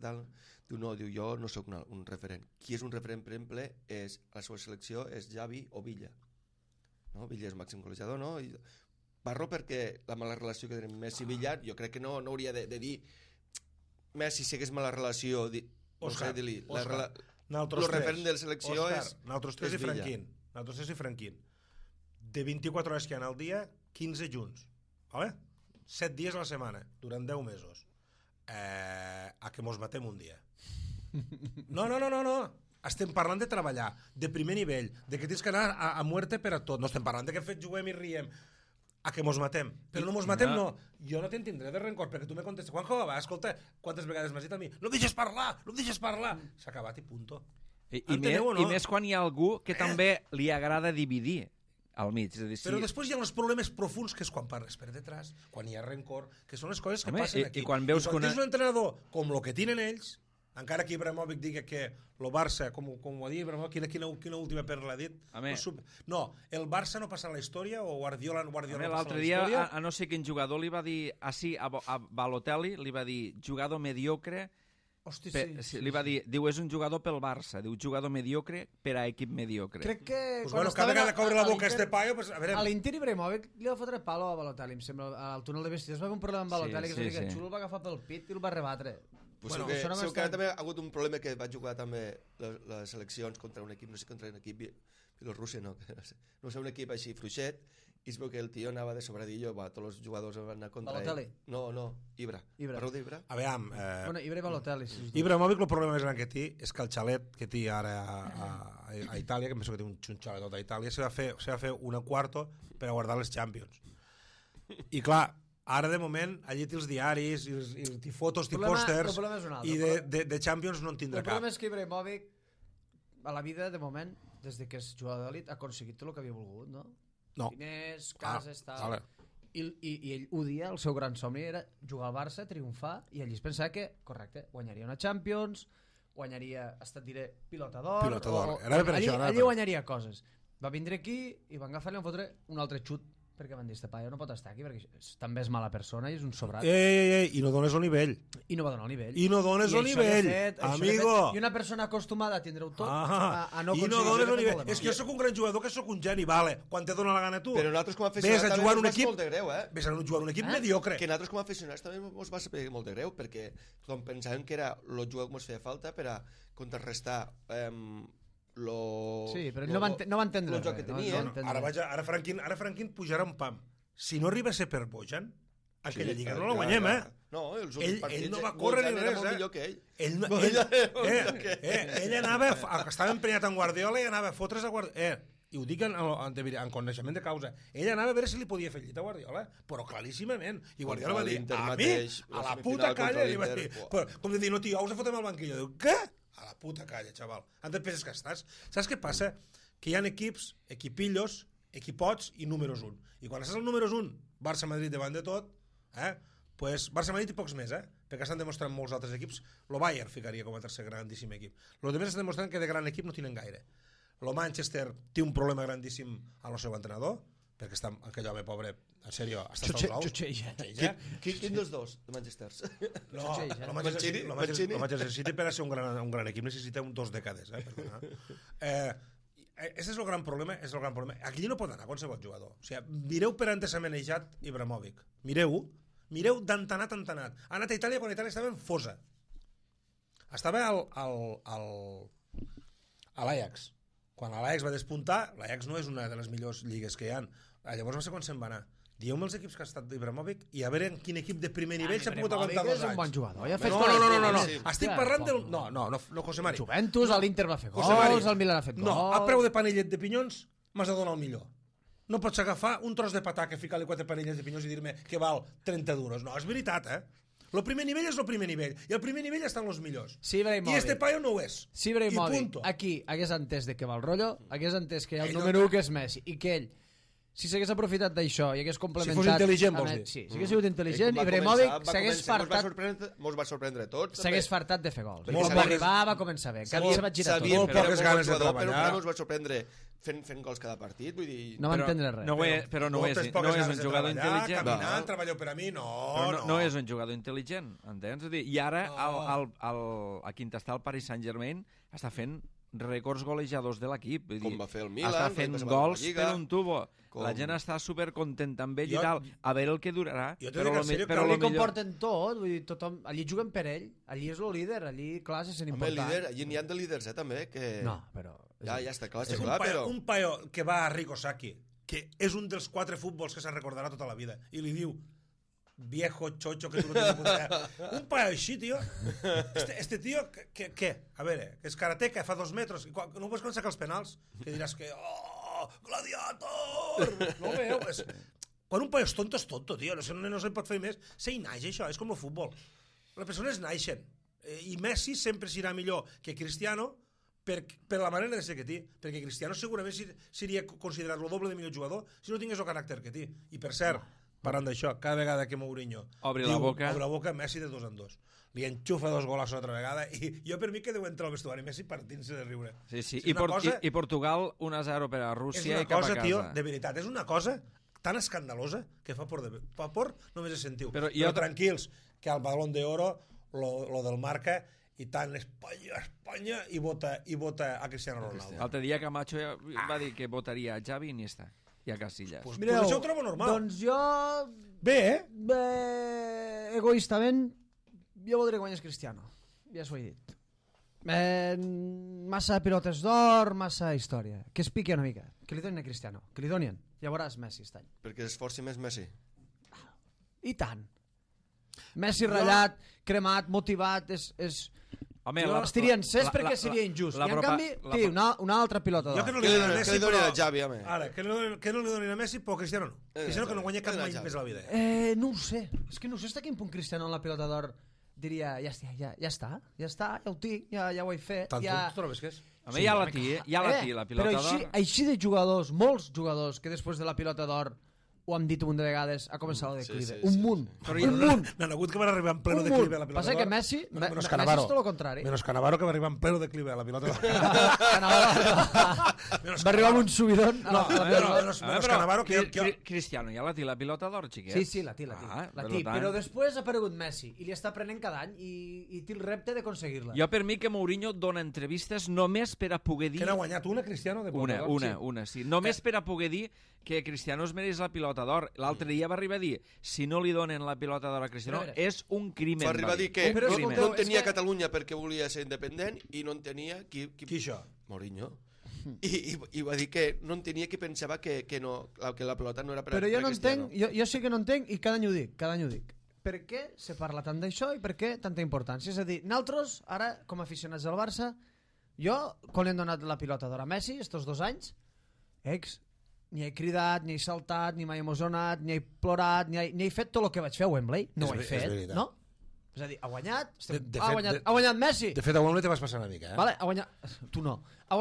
diu, no, jo no sóc un referent. Qui és un referent, per exemple, la seva selecció és Xavi o Villa, no? Villa és màxim golejador, no? I parlo perquè la mala relació que tenim Messi i Villa, jo crec que no hauria de dir Messi si hagués mala relació, no sé, dir-li el referent de la selecció és nosaltres tres i Franquín, de 24 hores que hi ha al dia, 15 junts, vale? 7 dies a la setmana durant 10 mesos, a que mos matem un dia. No, estem parlant de treballar de primer nivell, de que tens que anar a muerte per a tot, no estem parlant de que juguem i riem, a que mos matem, però no mos matem, no. Jo no tindré de rencor, perquè tu me contestes, Juanjo, va, escolta, quantes vegades m'has dit a mi, no em deixes parlar, s'ha acabat i punto. I més quan hi ha algú que també li agrada dividir al mig. És a dir, però després hi ha els problemes profuns, que és quan parles per detrás, quan hi ha rencor, que són les coses que passen aquí. I quan veus que tens un entrenador com el que tenen ells, encara que Ibrahimovic digui que el Barça, com ho ha dit Ibrahimovic, quina última perla ha dit? No, el Barça no passa a la història, o Guardiola no passa a la història? L'altre dia, a no sé quin jugador li va dir, a Balotelli, li va dir jugador mediocre. Hosti, sí. Li va dir, diu, és un jugador pel Barça, diu, jugador mediocre per a equip mediocre. Crec que... Cada vegada que obre la boca este paio, a l'Inter Ibrahimovic li va fotre palo a Balotelli, em sembla, al túnel de vestides va haver un problema amb Balotelli, que el xulo el va agafar pel pit i el va rebatre. Segur que també ha hagut un problema que va jugar també les seleccions contra un equip, no sé, contra un equip Bielorússia, no sé, un equip així fluixet, i es veu que el tio anava de sobradillo, tots els jugadors van anar contra Balotelli? No, Ibra. Parleu d'Ibra? Aviam, Ibra i Balotelli. Ibrahimovic, el problema més gran que té és que el xalet que té ara a Itàlia, que em penso que té un xalet tot a Itàlia, se va fer un quarto per a guardar les Champions. I clar, ara, de moment, allí té els diaris i fotos i pòsters i de Champions no en tindrà cap. El problema és que Ibrahimovic, a la vida, de moment, des que és jugador d'elit, ha aconseguit tot el que havia volgut, no? Diners, cases, tal... I ell ho dia, el seu gran somni era jugar al Barça, triomfar, i ell es pensava que, correcte, guanyaria una Champions, guanyaria, diré, pilota d'or... Allí guanyaria coses. Va vindre aquí i van agafar-li i van fotre un altre xut, perquè van dir, este paio no pot estar aquí perquè també és mala persona i és un sobrat. I no dones el nivell. I no va donar el nivell. I no dones el nivell, amigo. I una persona acostumada a tindre-ho tot, a I no no dones el nivell. És que jo sóc un gran jugador, que sóc un geni, vale, quan te dona la gana tu. Però nosaltres com a aficionats també ens va ser molt de greu, Ves a jugar un equip mediocre. Que nosaltres com a aficionats també ens va ser molt de greu, perquè pensàvem que era el jugador que ens feia falta per a contrarrestar sí, però ell no va entendre el joc que tenia. Ara Franquín pujarà un pam. Si no arriba a ser per Bojan, aquella lliga no la guanyem, No, ell no va córrer ni res, ell anava, estava emprenyat en Guardiola i anava a fotre's a Guardiola, i ho dic en coneixement de causa, ell anava a veure si li podia fer llit a Guardiola, però claríssimament, i Guardiola va dir, a mi, a la puta calla, com de dir, no tio, us fotem al banquillo, diu, què? A la puta calla, xaval. On et penses que estàs? Saps què passa? Que hi ha equips, equipillos, equipots i números 1. I quan estàs al números 1, Barça-Madrid davant de tot, pues Barça-Madrid i pocs més, perquè estan demostrant molts altres equips. Lo Bayern ficaria com a tercer grandíssim equip. Los demés estan demostrant que de gran equip no tenen gaire. Lo Manchester té un problema grandíssim amb el seu entrenador, perquè està aquell home pobre, en sèrio, està Xutxeja. Quin dels dos, de Manchester? No, el Manchester City per a ser un gran equip necessita 2 dècades, Ese és el gran problema, Aquí no pot anar qualsevol jugador. O sigui, mireu per on s'ha manejat Ibrahimovic. Mireu d'entanat. Ha anat a Itàlia quan Itàlia estava en fosa. Estava a l'Ajax. Quan l'Ajax va despuntar, l'Ajax no és una de les millors lligues que hi ha. Llavors no sé quan se'n va anar. Dieu-me els equips que ha estat Ibrahimovic i a veure en quin equip de primer nivell s'ha pogut aguantar 2 anys. És un bon jugador. No. Estic parlant del... No, José Mari. Juventus, l'Inter va fer gols, el Milan ha fet gols... No, a preu de panellet de pinyons m'has de donar el millor. no pots agafar un tros de patata, ficar-li 4 parelles de pinyons i dir-me que val 30 duros. No, és veritat, El primer nivell és el primer nivell, i el primer nivell estan els millors. Sí, I este paio no ho és. Sí, Ibrahimovic, I punto. aquí hagués entès de què va el rotllo, hagués entès que hi ha el número 1 que és Messi, i que ell, si s'hagués aprofitat d'això i hagués complementat... Si fos intel·ligent, vols dir? Sí, si hagués sigut intel·ligent, Ibrahimovic s'hagués fartat... Mos va sorprendre a tots. S'hagués fartat de fer gols. Molt Va poques- arribar, va començar bé. Cada dia se va girar tot. Molt poques ganes de treballar. Però no ens va sorprendre fent gols cada partit, vull dir... No va entendre res. Però no és un jugador intel·ligent. Caminant, treballeu per a mi, No és un jugador intel·ligent, entens? I ara, aquí on està el Paris Saint-Germain, està fent rècords golejadors de l'equip. Com va fer el Milan, està fent gols per un tubo. Com... La gent està supercontenta amb ell i tal. A veure el que durarà. Però li comporten tot, vull dir, tothom... Allí juguen per ell, allí és el líder, allí, clar, se sent important. Líder, allí n'hi ha de líders, també, que... No, però... Ja està clar, és però... un paio que va a Rico Sacchi, que és un dels 4 futbols que se'n recordarà tota la vida, i li diu viejo chocho que tu no tens puta idea. Un paio així, tio. Este tio, què? A veure, que és karateca, fa 2 metres, no pots quan sacar els penals, que diràs que... Oh, gladiator! No ho veu? Quan un paio és tonto, tio. No se'n pot fer més. Se hi naix, això. És com el futbol. Les persones naixen. I Messi sempre serà millor que Cristiano per la manera de ser que té. Perquè Cristiano segurament seria considerat el doble de millor jugador si no tingués el caràcter que té. I per cert, parlant d'això, cada vegada que Mourinho obre la boca, Messi de 2 en 2. Li enxufa 2 gols una altra vegada i jo per mi que deu entrar al vestuari Messi partint-se de riure. Sí. I Portugal 1-0 per a Rússia i cap a casa. És una cosa, tio, de veritat, és una cosa tan escandalosa que fa por només de sentiu. Però tranquils, que al Balón de Oro lo del Marca i tant Espanya i vota a Cristiano Ronaldo. L'altre dia Camacho va dir que votaria a Xavi i Iniesta i a Casillas. Pues això ho trobo normal. Doncs jo... Bé, egoistament, jo voldria guanyar Cristiano. Ja s'ho he dit. Massa pilotes d'or, massa història. Que es piqui una mica. Que li donin a Cristiano. Que li donin. Ja veuràs Messi aquest any. Perquè esforci més Messi. I tant. Messi ratllat, cremat, motivat, és... Home, estiria encès perquè seria injust. I en canvi, una altra pilota d'or. Jo que no li donin a Messi, que li donin a Xavi, home. Ara, que no li donin a Messi, però Cristiano no. Cristiano que no guanya cap mai més a la vida. No ho sé. És que no sé fins a quin punt Cristiano en la pilota d'or diria, ja està, ja ho tinc, ja ho he fet. Tant tu trobes que és? Home, ja la té, la pilota d'or. Però així de jugadors, molts jugadors, que després de la pilota d'or ho hem dit un munt de vegades, ha començat el declive. Un munt. Un munt. N'han hagut que van arribar en pleno declive a la pilota d'or. Passa que Messi és tot el contrari. Menos Cannavaro, que va arribar en pleno declive a la pilota d'or. Va arribar amb un subidón. Menos Cannavaro, que... Cristiano ja la té la pilota d'or, xiquet. Sí, la té. Però després ha aparegut Messi i li està prenent cada any i té el repte d'aconseguir-la. Jo per mi que Mourinho dona entrevistes només per a poder dir... Que n'ha guanyat una, Cristiano? Una, sí. Només per a poder dir que Cristiano es mereix la pilota d'or. L'altre dia va arribar a dir, si no li donen la pilota d'or a Cristiano, és un crimen. Va arribar a dir que no tenia Catalunya perquè volia ser independent i no en tenia... Qui això? Mourinho. I va dir que no en tenia, que pensava que la pilota no era per a Cristiano. Però jo no entenc, jo sí que no entenc i cada any ho dic. Per què se parla tant d'això i per què tanta importància? És a dir, nosaltres, ara, com a aficionats del Barça, jo, quan li hem donat la pilota d'or a Messi, estos 2 anys, ni he cridat, ni he saltat, ni m'he emocionat, ni he plorat, ni he fet tot el que vaig fer a Wembley. No ho he fet, no? És a dir, ha guanyat, ha guanyat Messi. De fet, a Wembley te vas passar una mica, Vale, ha guanyat... Tu no. Ha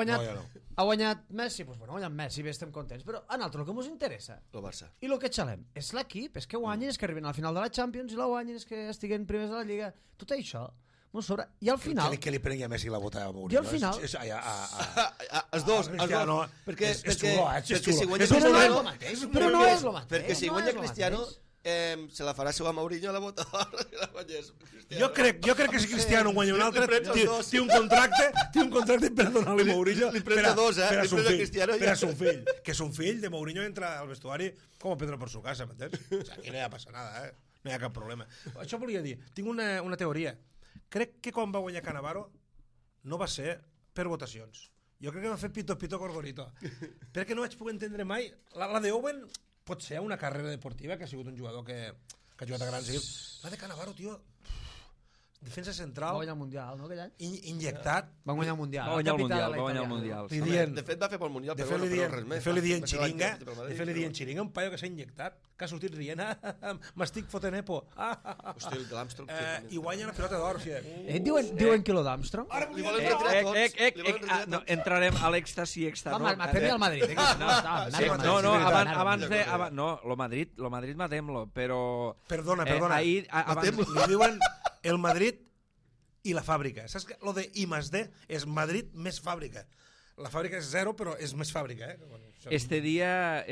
guanyat Messi, doncs bueno, ha guanyat Messi, bé, estem contents. Però a nosaltres el que ens interessa, el Barça, i el que xalem, és l'equip, és que guanyin, és que arriben a la final de la Champions, i la guanyin, és que estiguen primers de la Lliga. Tot això... I al final... Que li prengui a Messi la bota a Mourinho. I al final... Els dos. Perquè si guanya Cristiano... Però no és el mateix. Perquè si guanya Cristiano, se la farà seu a Mourinho a la bota jo crec que si Cristiano guanya un altre té un contracte per donar-li a Mourinho per a son fill, que son fill de Mourinho entra al vestuari com a Pedro por su casa, m'entens? Aquí no hi ha passat nada, no hi ha cap problema. Això volia dir, tinc una teoria. Crec que quan va guanyar Cannavaro no va ser per votacions. Jo crec que va fer pito gorgorito. Perquè no vaig poder entendre mai... La de Owen pot ser una carrera deportiva, que ha sigut un jugador que ha jugat a grans equips. La de Cannavaro, tio... defensa Va central, guanyar el Mundial, no, aquell any? injectat. Va guanyar el Mundial. Va guanyar el capità Mundial, de la va guanyar el italiana. Mundial. Li sí. dient, De fet, va fer pel Mundial, de però fer-li res més. dient xiringa, Va ser l'any de fer-li dient xiringa, un paio que s'ha injectat, que ha sortit rient, m'estic fotent epo. Hòstia, el l'Armstrong... I guanya la pilota d'or, o sigui. Diuen Kilo d'Armstrong? Li volen retirar tots. Li volen retirar No, tots. entrarem a l'èxtasi extra. Home, matem-hi al Madrid. Lo Madrid matem-lo, però... Perdona. ahir, Li diuen el Madrid i la fàbrica. Saps que lo de I+D és Madrid més fàbrica. La fàbrica és 0, però és més fàbrica, Bueno, este dia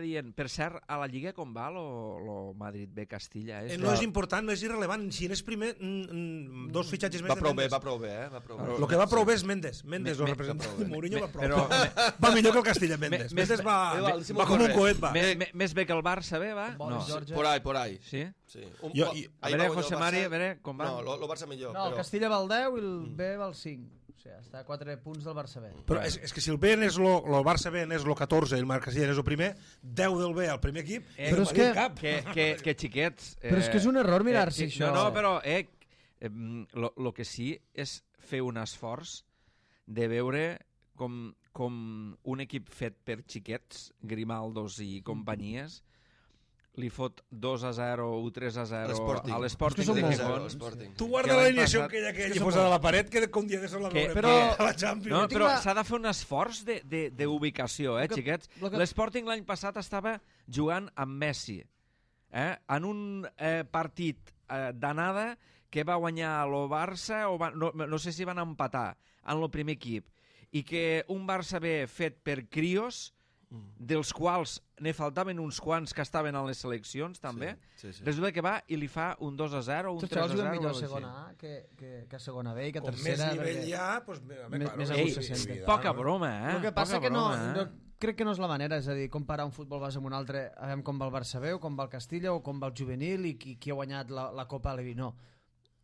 dient... Per cert, a la Lliga com va lo Madrid B Castilla? no és important, no és irrellevant. Si n'és primer, dos fitxatges més Va de prou bé, Mendes. va prou bé, Va prou bé. El que va prou bé és Mendes. Mendes, el representant. Mourinho va prou bé. Va millor que el Castilla, Mendes. Mendes va com un coet, va. Més bé que el Barça B, va? Boris George. Por ahí. Sí? Sí. A veure, José Mari, a veure com va. No, el Barça millor. No, el Castilla va al 10 i el B va al 5. O sigui, està a 4 punts del Barça B. Però és que si el B és el Barça B és el 14 i el Marc Castilla és el primer, 10 del B al primer equip, Però és Que xiquets... Però és que és un error mirar-se això. No, però lo que sí és fer un esforç de veure com un equip fet per xiquets, Grimaldos i companyies, li fot 2-0 o 3-0 a l'Sporting són de molt Gijón. Tu guarda la alineació aquella que hi posada a la paret, que un dia de sol la veurem a la Champions. No, però s'ha de fer un esforç d'ubicació, xiquets. L'Sporting l'any passat estava jugant amb Messi en un partit d'anada que va guanyar el Barça, no sé si van empatar en el primer equip, i que un Barça B fet per crios, dels quals ne faltaven uns quants que estaven a les seleccions també, resulta que va i li fa un 2-0 un 3-0. Tots els juguen millor a segona A que a segona B i que a tercera. Com més nivell hi ha, doncs més a gust se sent. Poca broma, El que passa que no crec que no és la manera, és a dir, comparar un futbol base amb un altre, a veure com va el Barça B o com va el Castilla o com va el juvenil i qui ha guanyat la Copa Levi. No.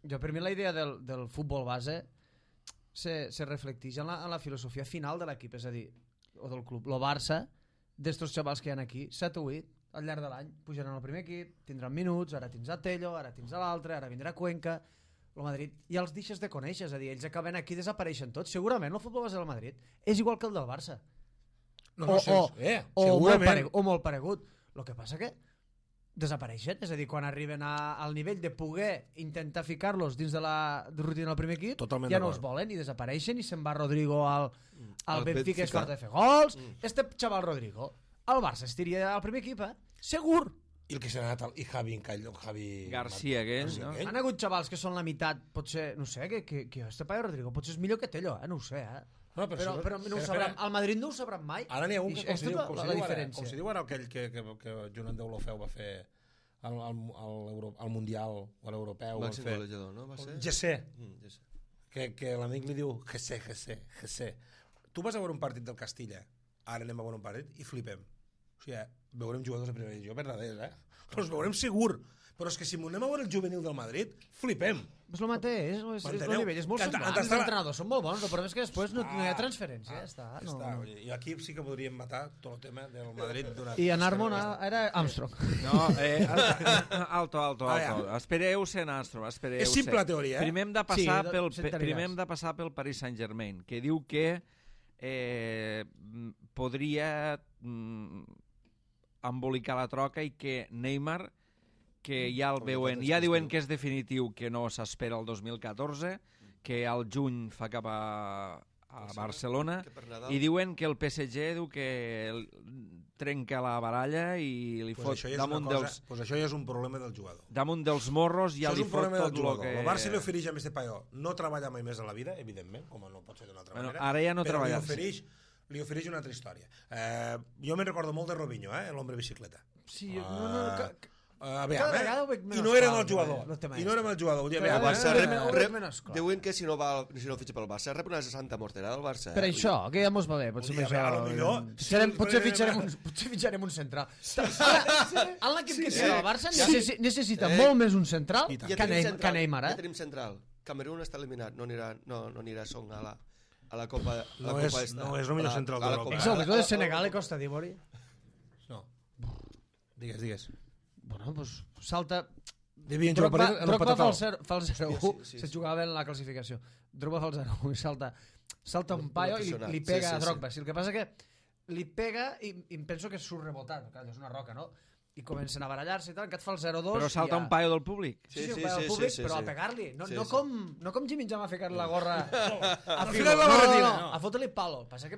Jo, per mi la idea del futbol base se reflecteix en la filosofia final de l'equip, és a dir, o del club. El Barça, d'estos xavals que hi ha aquí, 7 o 8, al llarg de l'any, pujaran al primer equip, tindran minuts, ara tens a Tello, ara tens a l'altre, ara vindrà Cuenca, el Madrid, i els deixes de conèixer, és a dir, ells acaben aquí i desapareixen tots. Segurament el futbol base del Madrid és igual que el del Barça. O molt paregut. El que passa que desapareixen, és a dir, quan arriben al nivell de poder intentar ficar-los dins de la rutina del primer equip, ja no els volen i desapareixen i se'n va Rodrigo al Benfica i es farta de fer gols. Este xaval Rodrigo al Barça estiria al primer equip, segur. I el que s'ha anat, i Javi García, aquell, no? Han hagut xavals que són la meitat, potser, no sé, que este paio Rodrigo potser és millor que Tello, no ho sé, No, però no ho sabran, al Madrid no ho sabran mai. Ara n'hi ha un que, com si diu ara aquell que Joan Deulofeu va fer al Mundial o a l'Europeu. Màxim golejador, no? Va ser? Gessé. Que l'amic li diu Gessé. Tu vas a veure un partit del Castilla, ara anem a veure un partit i flipem. O sigui, veurem jugadors de primera divisió verdaders, Els veurem segur. Però és que si anem a veure el juvenil del Madrid, flipem. És el mateix, és el nivell, és molt semblant. Els entrenadors són molt bons, el problema és que després no hi ha transferència. I aquí sí que podríem matar tot el tema del Madrid. I en Armon era Armstrong. No, alto. Espereu-se en Armstrong. És simple la teoria, Primer hem de passar pel Paris Saint-Germain, que diu que podria embolicar la troca i que Neymar, que ja el veuen, ja diuen que és definitiu, que no s'espera el 2014, que al juny fa cap a Barcelona, i diuen que el PSG diu que trenca la baralla i li fot damunt dels... Pues això ja és un problema del jugador. Damunt dels morros ja li fot tot el que... El Barça li ofereix a este paio no treballa mai més a la vida, evidentment, com no pot ser d'una altra manera, ara ja no treballa. Però li ofereix una altra història. Jo me'n recordo molt de Robinho, l'hombre bicicleta. Sí, i no era el jugador. Diuen que si no fitxa pel Barça rep una 60 mortera del Barça. Per això, que ja mos va bé. Potser fitxarem un central. En l'equip que té el Barça necessita molt més un central que Neymar. Ja tenim central. Camerún està eliminat, no anirà Song a la Copa. No és el millor central d'Europa. És el millor de Senegal i Costa d'Ivori. No. Digues. Bueno, pues salta Devien jugar per ell en el Drogba fa patatau. el 0-1, Sí. se jugava en la classificació. Drogba fa el 0-1 i salta un paio i li pega a Drogba. Sí, el que passa que li pega i em penso que surt rebotat, clar, és una roca, no? I comencen a barallar-se i tal, que et fa el 0-2... Però salta un paio del públic. Sí, un paio del públic, però a pegar-li. No com Jimmy Jam a ficar la gorra a ficar la barretina, no. a fotre-li palo. Passa que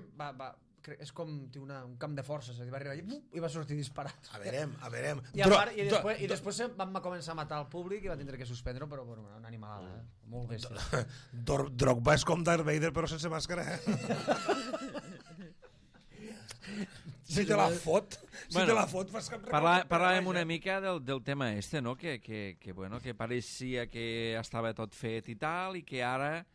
és com un camp de força, és a dir, va arribar i va sortir disparat. A veurem. I després vam començar a matar el públic i va tindre que suspendre-ho, però bueno, una animalada, molt bèstia. Drogba és com Darth Vader, però sense màscara, Si te la fot, fas cap Parlàvem una mica del tema este, no? Que pareixia que estava tot fet i tal, i que ara,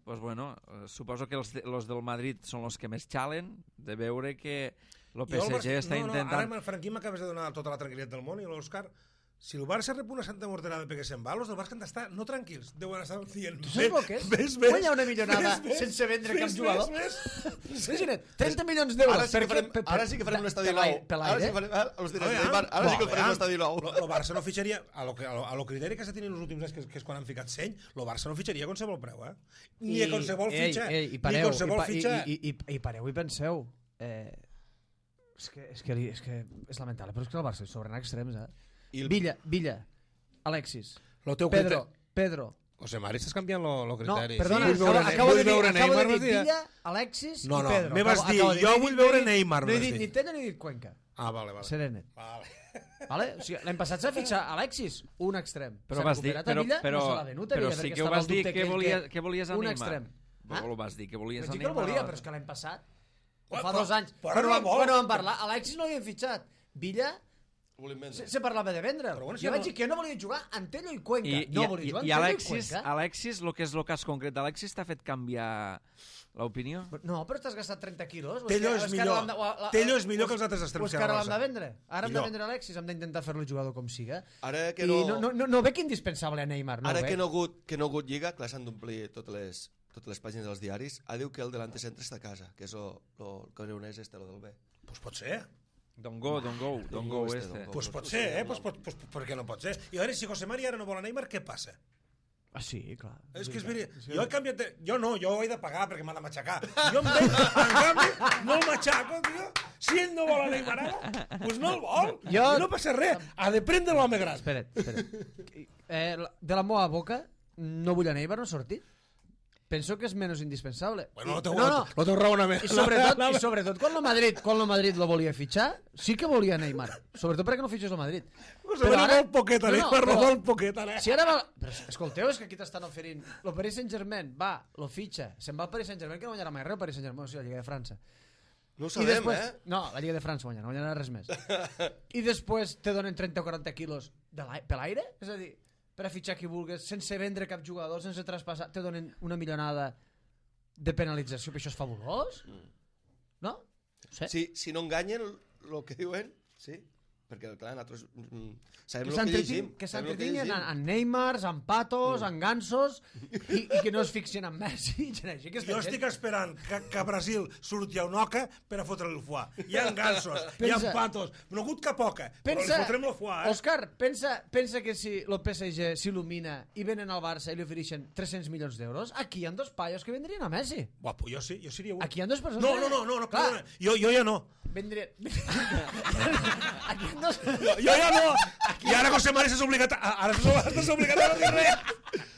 pues bueno, suposo que els del Madrid són els que més xalen, de veure que el PSG està intentant... Ara, Franquí, m'acabes de donar tota la tranquil·litat del món, i l'Òscar, si el Barça rep una santa morterada perquè se'n va, els del Barça han d'estar no tranquils, deuen estar dient... Tu saps el que és? Guanyar una millonada sense vendre cap jugador? Imagina't, 30 milions d'euros. Ara sí que farem un estadi nou. Ara sí que farem un estadi nou. El Barça no fitxaria, a lo criteri que s'ha tingut els últims anys, que és quan han ficat seny, el Barça no fitxaria a qualsevol preu, Ni a qualsevol fitxa. I pareu i penseu... És que és lamentable, però és que el Barça sobren extrems, Villa, Alexis, Pedro. José Mari, estàs canviant el criteri. No, perdona, acabo de dir Villa, Alexis i Pedro. Me vas dir, jo vull veure Neymar. No he dit ni Tella ni he dit Cuenca. Vale. Serenet. Vale? O sigui, l'any passat s'ha fitxat Alexis, un extrem. Però vas dir, però sí que ho vas dir que volies a Neymar. Un extrem. Ho vas dir que volies a Neymar. Neymar. No que el volia, però és que l'any passat, fa 2 anys, quan vam parlar, Alexis no l'havien fitxat. Villa... Se parlava de vendre. Jo vaig dir que no volia jugar Antelo i Cuenca. I Alexis, el que és el cas concret d'Alexis, t'ha fet canviar l'opinió? No, però t'has gastat 30 quilos. Tello és millor que els altres extrems. Que ara l'hem de vendre. Ara hem de vendre Alexis, hem d'intentar fer-lo jugador com siga. Ara que no... No veig indispensable a Neymar. Ara que no ha hagut lliga, clar, s'han d'omplir totes les pàgines dels diaris. Diu que el delante centre està a casa, que és el camerunès este, el del B. Pues pot ser. Don't go este. Pues pot ser, pues per què no pot ser? I a veure, si José Mari ara no vol a Neymar, què passa? Sí, clar. És que és veritat. Jo he canviat... Jo no, jo ho he de pagar perquè m'ha de matxacar. Jo em veig, en canvi, no el matxaco, tio. Si ell no vol a Neymar ara, doncs no el vol. I no passa res. Ha de prendre l'home gran. Espera't. De la meva boca, no vull a Neymar, no ha sortit. Penso que és menys indispensable. Bueno, no teu raonament. I sobretot quan el Madrid lo volia fitxar, sí que volia Neymar. Sobretot perquè no fitxés el Madrid. Però ara... Neymar no vol poquet, ara. Si ara... Però escolteu, és que aquí t'estan oferint... El Paris Saint-Germain va, lo fitxa, se'n va al Paris Saint-Germain, que no guanyarà mai res el Paris Saint-Germain, o sigui, la Lliga de França. No ho sabem, No, la Lliga de França no guanyarà res més. I després te donen 30 o 40 quilos per l'aire? És a dir... per a fitxar qui vulguis, sense vendre cap jugador, sense traspassar, te donen una milionada de penalització, però això és fabulós? No? Si no enganyen el que diuen, sí. Perquè, clar, nosaltres sabem el que llegim. Que s'entretinguin en Neymars, en Patos, en Gansos, i que no es fixin en Messi. Jo estic esperant que a Brasil surti a Unoca per a fotre el foie. Hi ha Gansos, hi ha Patos, no ha hagut cap poca, però li fotrem el foie. Òscar, pensa que si el PSG s'il·lumina i venen al Barça i li ofereixen 300 milions d'euros, aquí hi ha 2 paios que vendrien a Messi. Guapo, jo sí, jo seria un. Aquí hi ha 2 persones. No, perdona. Jo ja no. Vendrien... Jo ja no. I ara José Mari s'ha obligat a no dir res.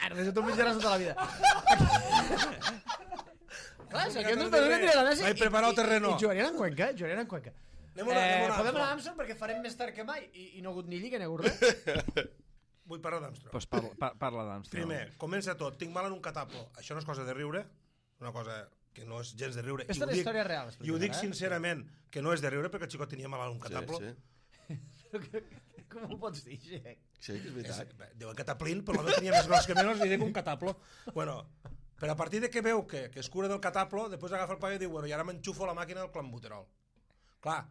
Ara deixa tu mitjaràs tota la vida. Clar, si aquí no es vendrien a Messi. Vaig preparar el terreno. I jugarien en Cuenca. Podem anar a Amsterdam perquè farem més tard que mai i no ha hagut ni lliga ni ha hagut res. Vull parlar d'Amsterdam. Pues parla d'Amsterdam. Primer, comença tot. Tinc mal en un cataplo. Això no és cosa de riure, una cosa que no és gens de riure. Aquesta és la història real. I ho dic sincerament, que no és de riure perquè el xicot tenia mal en un cataplo. Com ho pots dir, Xec? Sí, que és veritat. Diuen cataplín, però l'home tenia més gros que menys, li dic un cataplo. Bueno, però a partir de que veu que es cura del cataplo, després agafa el paio i diu, bueno, i ara m'enxufo la màquina del clenbuterol. Clar,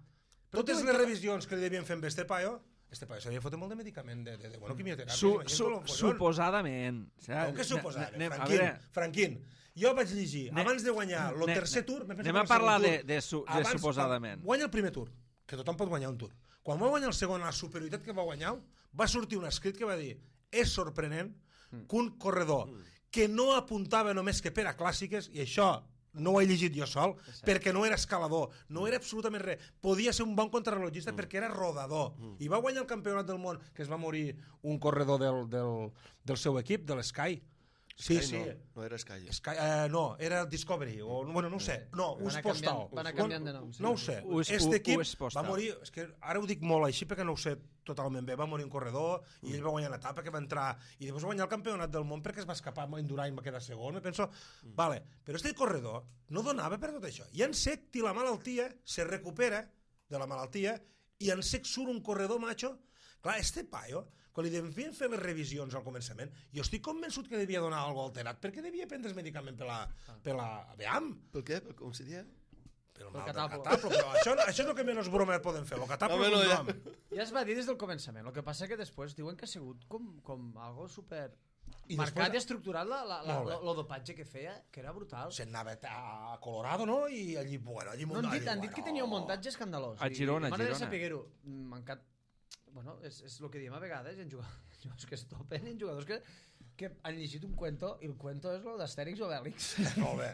totes les revisions que li devien fer amb este paio s'havia fotut molt de medicament de quimioteràpia. Suposadament. Com que suposadament? Franquín, jo vaig llegir, abans de guanyar el tercer tour... Anem a parlar de suposadament. Guanya el primer tour, que tothom pot guanyar un tour. Quan va guanyar el segon, la superioritat que va guanyar, va sortir un escrit que va dir és sorprenent que un corredor que no apuntava només que per a clàssiques, i això no ho he llegit jo sol, perquè no era escalador, no era absolutament res, podia ser un bon contrarrellotgista perquè era rodador, i va guanyar el campionat del món, que es va morir un corredor del seu equip, de l'Sky. Sí, Sky sí. No era Sky. No, era Discovery, o bueno, no ho sé, no, US Postal. Van anar canviant de nom. No ho sé. Este equip va morir, és que ara ho dic molt així perquè no ho sé totalment bé, va morir un corredor i ell va guanyar l'etapa que va entrar i després va guanyar el campionat del món perquè es va escapar amb Indurain, va quedar segon, me penso, vale, però este corredor no donava per tot això, i en sec té la malaltia, se recupera de la malaltia i en sec surt un corredor macho. Clar, este paio, quan li devien fer les revisions al començament, jo estic convençut que devia donar alguna cosa alterat, perquè devia prendre el medicament per la veam. Per què? Com se dia? Pel mal del cataplo. Però això és el que menys broma poden fer, el cataplo és un nom. Ja es va dir des del començament, el que passa que després diuen que ha sigut com algo super... I marcat després- i estructurat Molt bé. el dopatge que feia, que era brutal. Se'n anava a Colorado, no? I allí, bueno, allí No, han dit que tenia un muntatge escandalós. A Girona, I m'agradaria Girona. saber-ho. Mancat... Bueno, és el que diem a vegades, hi ha jugadors que es topen, hi ha jugadors que han llegit un cuento, i el cuento és el d'Astèrix i Obèlix. Molt bé.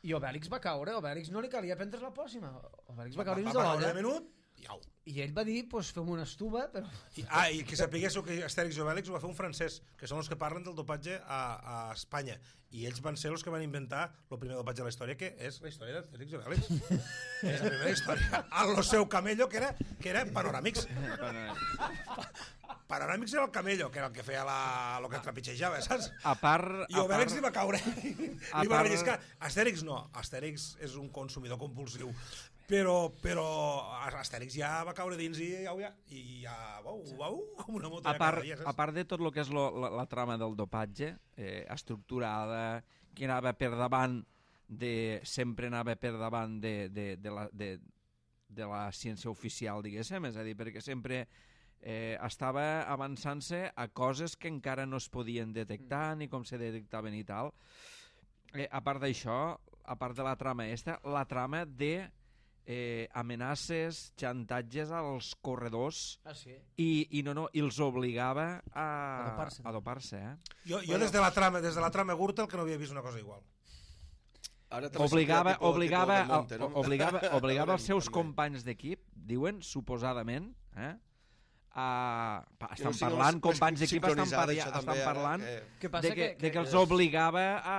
I Obèlix va caure, Obèlix no li calia prendre la pòssima. Obèlix va caure Va dins de parar l'olla. un minut i au. I ell va dir, pues, fem una estuba, però... I que sapiguéssiu que Astèrix i Obèlix ho va fer un francès, que són els que parlen del dopatge a Espanya. I ells van ser els que van inventar el primer dopatge de la història, que és la història d'Astèrix i Obèlix. És la primera història. A lo seu camello, que era Panoràmics. Panoràmics era el camello, que era el que feia el que trepitjejava, saps? A part... I Obèlix li va caure. Li va part- relliscar. Astèrix no. Astèrix és un consumidor compulsiu. Però Astèrix ja va caure dins i ja vau, com una moto. A part de tot el que és la trama del dopatge, estructurada, que anava per davant sempre anava per davant de la ciència oficial, diguéssim, és a dir, perquè sempre estava avançant-se a coses que encara no es podien detectar ni com se detectaven i tal. A part d'això, a part de la trama la trama de amenaces, xantatges als corredors Ah, sí? i els obligava a dopar-se. dopar-se. Jo des de la trama Gürtel que no havia vist una cosa igual. Ara te l'has Obligava sentit tipus de Monte, no? els seus companys d'equip, diuen, suposadament, estan sigui, parlant, no és companys d'equip estan sincronitzat, això també, ara, parlant Què passa? de que els obligava a...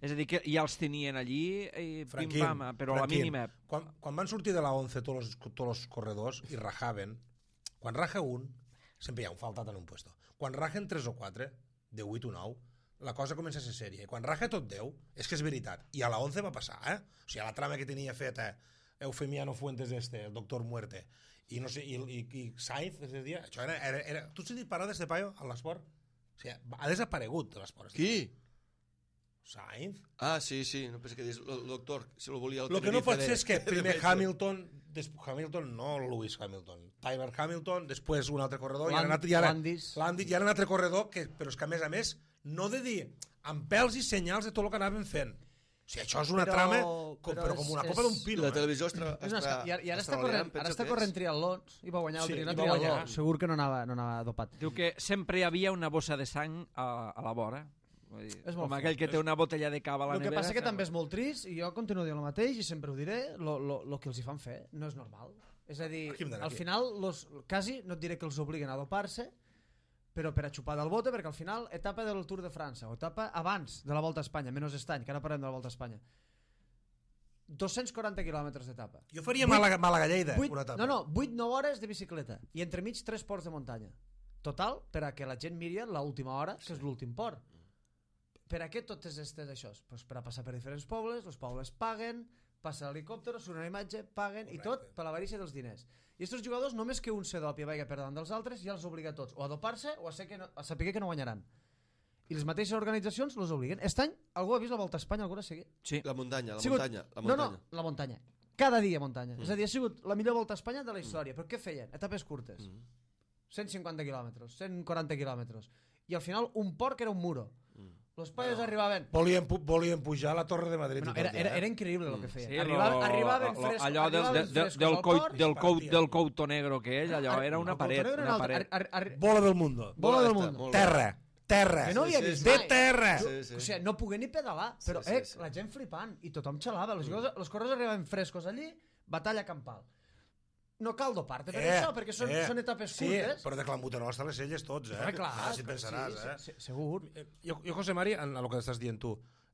És a dir, que ja els tenien allí i pim-pam, però a la mínima... Quan van sortir de la 11 tots els corredors i rajaven, quan raja un, sempre hi ha un faltat en un puesto. Quan rajen 3 o 4, de 8 o 9, la cosa comença a ser sèria. I quan raja tot 10, és que és veritat. I a la 11 va passar, O sigui, la trama que tenia feta Eufemiano Fuentes el doctor Muerte, i no sé, i Sainz, això era... Tu has sentit parlar d'este paio a l'esport? O sigui, ha desaparegut de l'esport. Qui? Sainz? Ah, sí, no penso que dius el doctor, si lo volia el Lo que no Tenerife pot ser és que primer de Hamilton, no Lewis Hamilton, Tyler Hamilton, després un altre corredor, Landis. Landis, i ara un altre corredor, però és que a més, no de dir, amb pèls i senyals de tot el que anaven fent. O sigui, això és una trama però com una copa d'un pino. La televisió I ara està corrent triatlons i va guanyar el Sí, triatló. i va guanyar. Segur que no anava dopat. Diu que sempre hi havia una bossa de sang a la vora. Vull dir, És molt com aquell que té una botella de cava a la El que nevera. passa que també és molt trist, i jo continuo dient el mateix, i sempre ho diré, el que els hi fan fer no és normal. És a dir, Aquí hem d'anar, al aquí. final, quasi, no et diré que els obliguen a dopar-se, però per a xupar del bote, perquè al final, etapa del Tour de França, o etapa abans de la Volta a Espanya, menys estany, que ara parlem de la Volta a Espanya, 240 quilòmetres d'etapa. Jo faria Màlaga-Lleida, una etapa. No, 8-9 hores de bicicleta, i entremig 3 ports de muntanya. Total, per a que la gent miri l'última hora, que és l'últim port. Per a què totes aquestes això? Pues per a passar per diferents pobles, els pobles paguen, passa l'helicòpter, surt una imatge, paguen, i tot per l'avarícia dels diners. I aquests jugadors, només que un se dopi i vagi per davant dels altres, ja els obliga a tots, o a dopar-se o a saber que no guanyaran. I les mateixes organitzacions els obliguen. Aquest any, algú ha vist la Volta a Espanya alguna seguit? Sí. La muntanya. No, la muntanya. Cada dia muntanya. És a dir, ha sigut la millor Volta a Espanya de la història. Però què feien? Etapes curtes. 150 quilòmetres, 140 quilòmetres. I al final un port que era un muro. Los payos arribaven... Volien pujar a la Torre de Madrid. Bueno, era increïble el que feien. Sí, arribaven frescos. allò del couto negro que ell, allò era una paret. Bola del mundo. Bola del mundo. Terra. Que no havia vist de mai. terra. O sigui, no pogué ni pedalar, però la gent flipant, i tothom xalava. Els corredors arribaven frescos allí, batalla campal. No cal dopar-te per això, perquè són etapes curtes. Sí, però de clambuterol hasta les celles tots, Clar, si pensaràs, segur. Jo, José Mari, en el que estàs dient tu,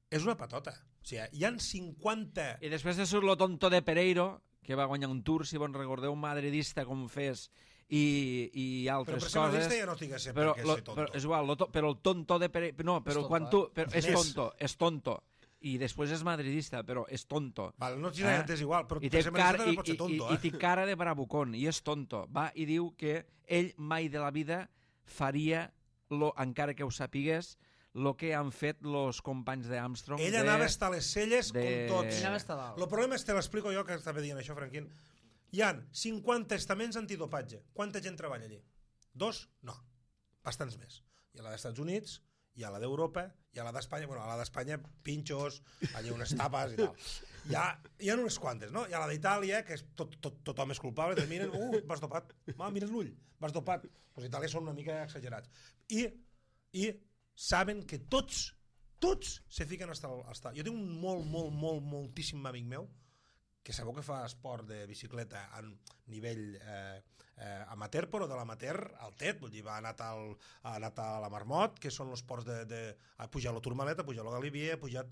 és una patota. O sigui, hi han 50... I després surt lo tonto de Pereiro, que va guanyar un Tour, si bon recordeu, un madridista com fes, i altres coses. Però per ser madridista ja no tinc que ser perquè ser tonto. Però és igual, però el tonto de Pereiro... No, però quan tu... És tonto. I després és madridista, però és tonto. Val, no és igual, però I per ser madridista també pot ser tonto. I té cara de bravucón, i és tonto. Va i diu que ell mai de la vida faria, encara que ho sapigués, el que han fet els companys d'Armstrong. Ell anava a estar a les celles com tots. Ell anava a estar dalt. El problema és, te l'explico jo, que estava dient això, Franquín. Hi ha 50 estaments antidopatge. Quanta gent treballa allí? 2? No. Bastants més. Hi ha la dels Estats Units, hi ha la d'Europa, hi ha la d'Espanya, bueno, a la d'Espanya, pinxos, allà unes tapes i tal. Hi ha unes quantes, no? Hi ha la d'Itàlia, que és tothom és culpable, te miren, vas dopat, mires l'ull, vas dopat. Els italians són una mica exagerats. I saben que tots se fiquen hasta... Jo tinc un moltíssim amic meu, que sabeu que fa esport de bicicleta a nivell amateur, però de l'amateur al tet, vull dir, ha anat a la Marmot, que són els ports ha pujat la Tourmalet, ha pujat la Galibier, ha pujat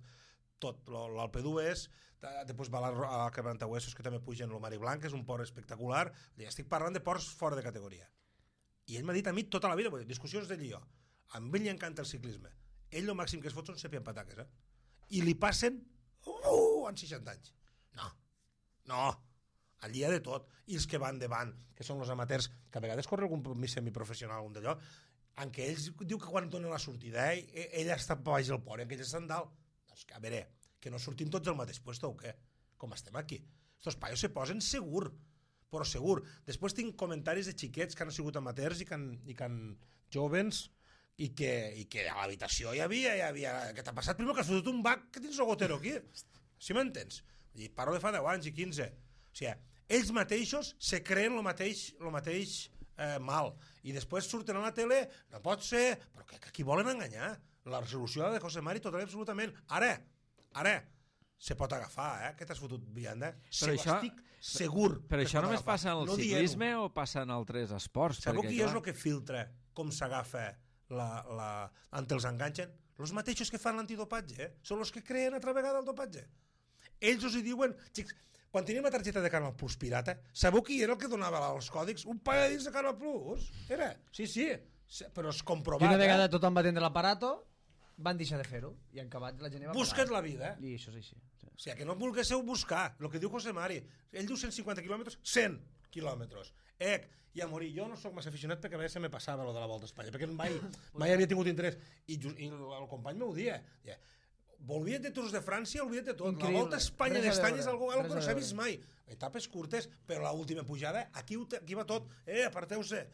tot l'Alpe d'Hues, després va a la Quebrantahuesos, que també pugen el Mari Blanc, que és un port espectacular. Estic parlant de ports fora de categoria. I ell m'ha dit a mi tota la vida, discussions d'ell i jo, amb ell li encanta el ciclisme. Ell el màxim que es fot són sepi amb pataques, i li passen en 60 anys. No, allí hi ha de tot. I els que van davant, que són els amateurs, que a vegades corre algun semiprofessional, algun d'allò, en què ells diu que quan donen la sortida, ell està baix del pont, en què ells estan dalt. Doncs que, a veure, que no sortim tots al mateix puesto o què? Com estem aquí? Estos paios se posen segur, però segur. Després tinc comentaris de xiquets que han sigut amateurs i que han jovens i que a l'habitació hi havia... Què t'ha passat? Primer que has fotut un bac que tens el gotero aquí. Si m'entens? I parlo de fa 10 anys i 15. O sigui, ells mateixos se creen el mateix mal. I després surten a la tele, no pot ser, però que aquí volen enganyar. La resolució de José Mari total absolutament. Ara, se pot agafar, que t'has fotut vianda. Estic segur. Però això només passa en el ciclisme o passa en altres esports? Sabeu qui és el que filtra com s'agafa ante els enganxen? Els mateixos que fan l'antidopatge, són els que creen altra vegada el dopatge. Ells us hi diuen, xics, quan teníem la targeta de Canal Plus pirata, sabeu qui era el que donava els còdics? Un pagadís de Canal Plus? Era? Sí, però és comprovat. I una vegada tothom va tindre l'aparato, van deixar de fer-ho, i en acabat la gent va... Busca't la vida. I això és així. O sigui, que no vulguéssiu buscar, el que diu José Mari. Ell diu 150 quilòmetres, 100 quilòmetres. I a morir. Jo no sóc massa aficionat perquè a vegades se me passava lo de la Volta a Espanya, perquè mai havia tingut interès. I el company m'ho dia. Volviet de Tours de França, olvida't de tot. Increïble. La Volta a Espanya d'estany és algo que no s'ha vist mai. Etapes curtes, però l'última pujada, aquí va tot. Aparteu-se.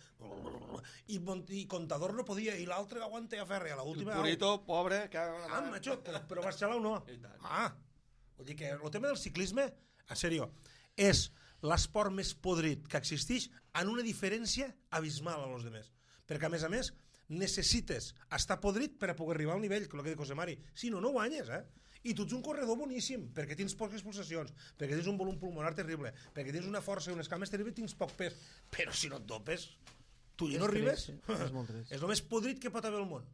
I Contador no podia, i l'altre aguanta a ferri. El Purito, pobre... macho, però Barcelona no. Vull dir que el tema del ciclisme, en sèrio, és l'esport més podrit que existeix en una diferència abismal a los demés. Perquè, a més, necessites estar podrit per a poder arribar al nivell, que el que diu José Mari. Si no, no guanyes, I tu ets un corredor boníssim, perquè tens poques pulsacions, perquè tens un volum pulmonar terrible, perquè tens una força i unes cames terribles, tens poc pes. Però si no et dopes, tu ja no arribes. És el més podrit que pot haver al món.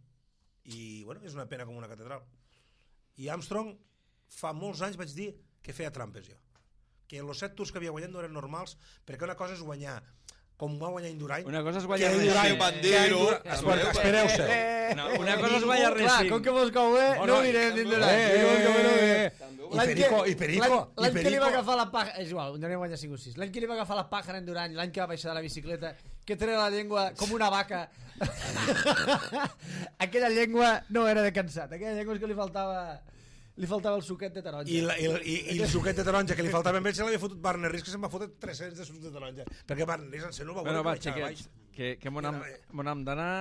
I, bueno, és una pena com una catedral. I Armstrong, fa molts anys vaig dir que feia trampes, jo. Que els 7 tours que havia guanyat no eren normals, perquè una cosa és guanyar com va guanyar Indurain. Una cosa és guanyar Espereu-se. Una cosa és guanyar Racing. Com que vos cau no mirem d'Indurain. I Perico. L'any que li va agafar la paja... És igual, un dia guanya 5 o 6. L'any que li va agafar la paja en Indurain, l'any que va baixar de la bicicleta, que treia la llengua com una vaca. Aquella llengua no era de cansat. Aquella llengua és que li faltava el suquet de taronja. I el suquet de taronja que li faltava a ell se l'havia fotut Barner Ries, que se'n va fotre 300 de suc de taronja. Perquè Barner Ries en no va veure que que m'on hem d'anar.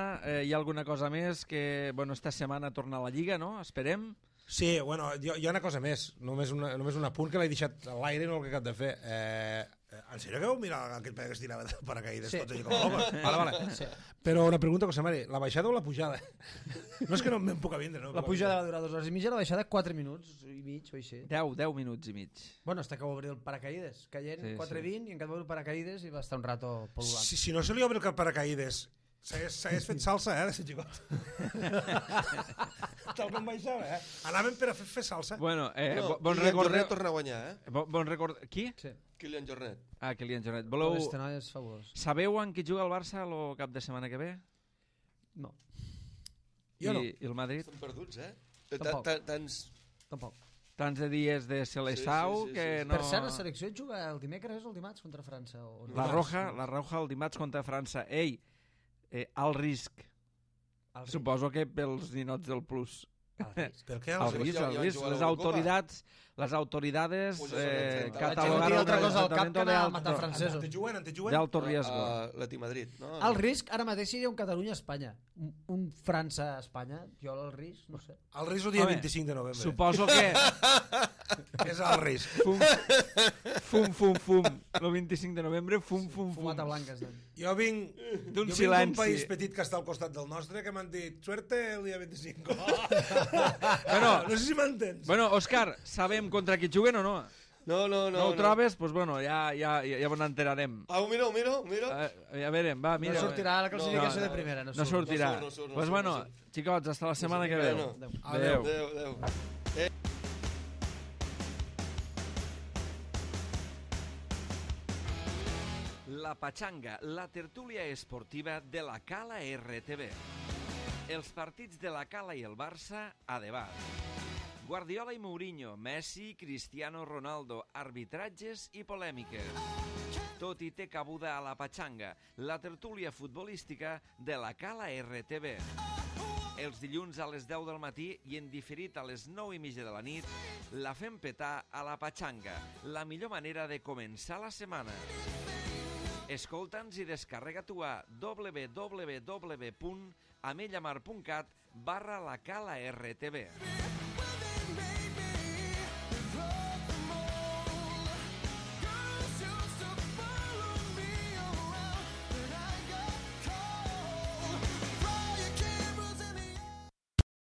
Hi ha alguna cosa més que, bueno, esta setmana torna a la Lliga, no? Esperem. Sí, bueno, hi ha una cosa més, només un apunt que l'he deixat a l'aire i no el que he de fer. En sèrio que vau mirar aquell paio que es tirava de paracaïdes tots allà com a home? Vale. Sí. Però una pregunta, José Mari, la baixada o la pujada? No és que no me'n puc a vindre, no? La pujada va durar 2 hores i mitja, la baixada 4 minuts i mig o així. 10 minuts i mig. Bueno, hasta que va obrir el paracaïdes, caient 4:20 i encara va obrir el paracaïdes i va estar un rato pol·lulant. Si no se li obre el paracaïdes, s'hagués fet salsa, de ser xicot. Tal com baixava, Anàvem per a fer salsa. Bueno, bon Jornet torna a guanyar, Bon record... Qui? Sí. Kylian Jornet. Kylian Jornet. Voleu... Este noi és fabulós. Sabeu en qui juga el Barça el cap de setmana que ve? No. Jo no. I el Madrid? Estan perduts, Tampoc. Tampoc. Tants de dies de Seleção que no... Per cert, la selecció juga el dimecres o el dimarts contra França? O no? La Roja el dimarts contra França. Ei, alt risc. Suposo que pels ninots del Plus. Per què? Al risc. Les autoridades catalogaron altra cosa al cap que anar a matar francesos. Te juguen? D'alto riesgo. L'Eti Madrid, no? El risc ara mateix seria un Catalunya-Espanya. Un França-Espanya. Jo el risc, no sé. El risc el dia 25 de novembre. Suposo que... És el risc. Fum. El 25 de novembre, fum. Fumata blanca. Jo vinc d'un país petit que està al costat del nostre que m'han dit suerte el dia 25. No sé si m'entens. Bueno, Òscar, sabem contra qui juguen o no? No. No ho trobes? Doncs bueno, ja n'enterarem. Ho miro. Ja veurem, va, mira. No sortirà la classificació de primera. No sortirà. Doncs bueno, xicots, hasta la setmana que ve. Adéu. La Pachanga, la tertúlia esportiva de la Cala RTV. Els partits de la Cala i el Barça a debat. Guardiola i Mourinho, Messi, Cristiano Ronaldo, arbitratges i polèmiques. Tot hi té cabuda a la Pachanga, la tertúlia futbolística de la Cala RTV. Els dilluns a les 10 del matí i en diferit a les 9:30 de la nit, la fem petar a la Pachanga, la millor manera de començar la setmana. Escolta'ns i descarrega-t'ho a www.amellamar.cat/la Cala RTV.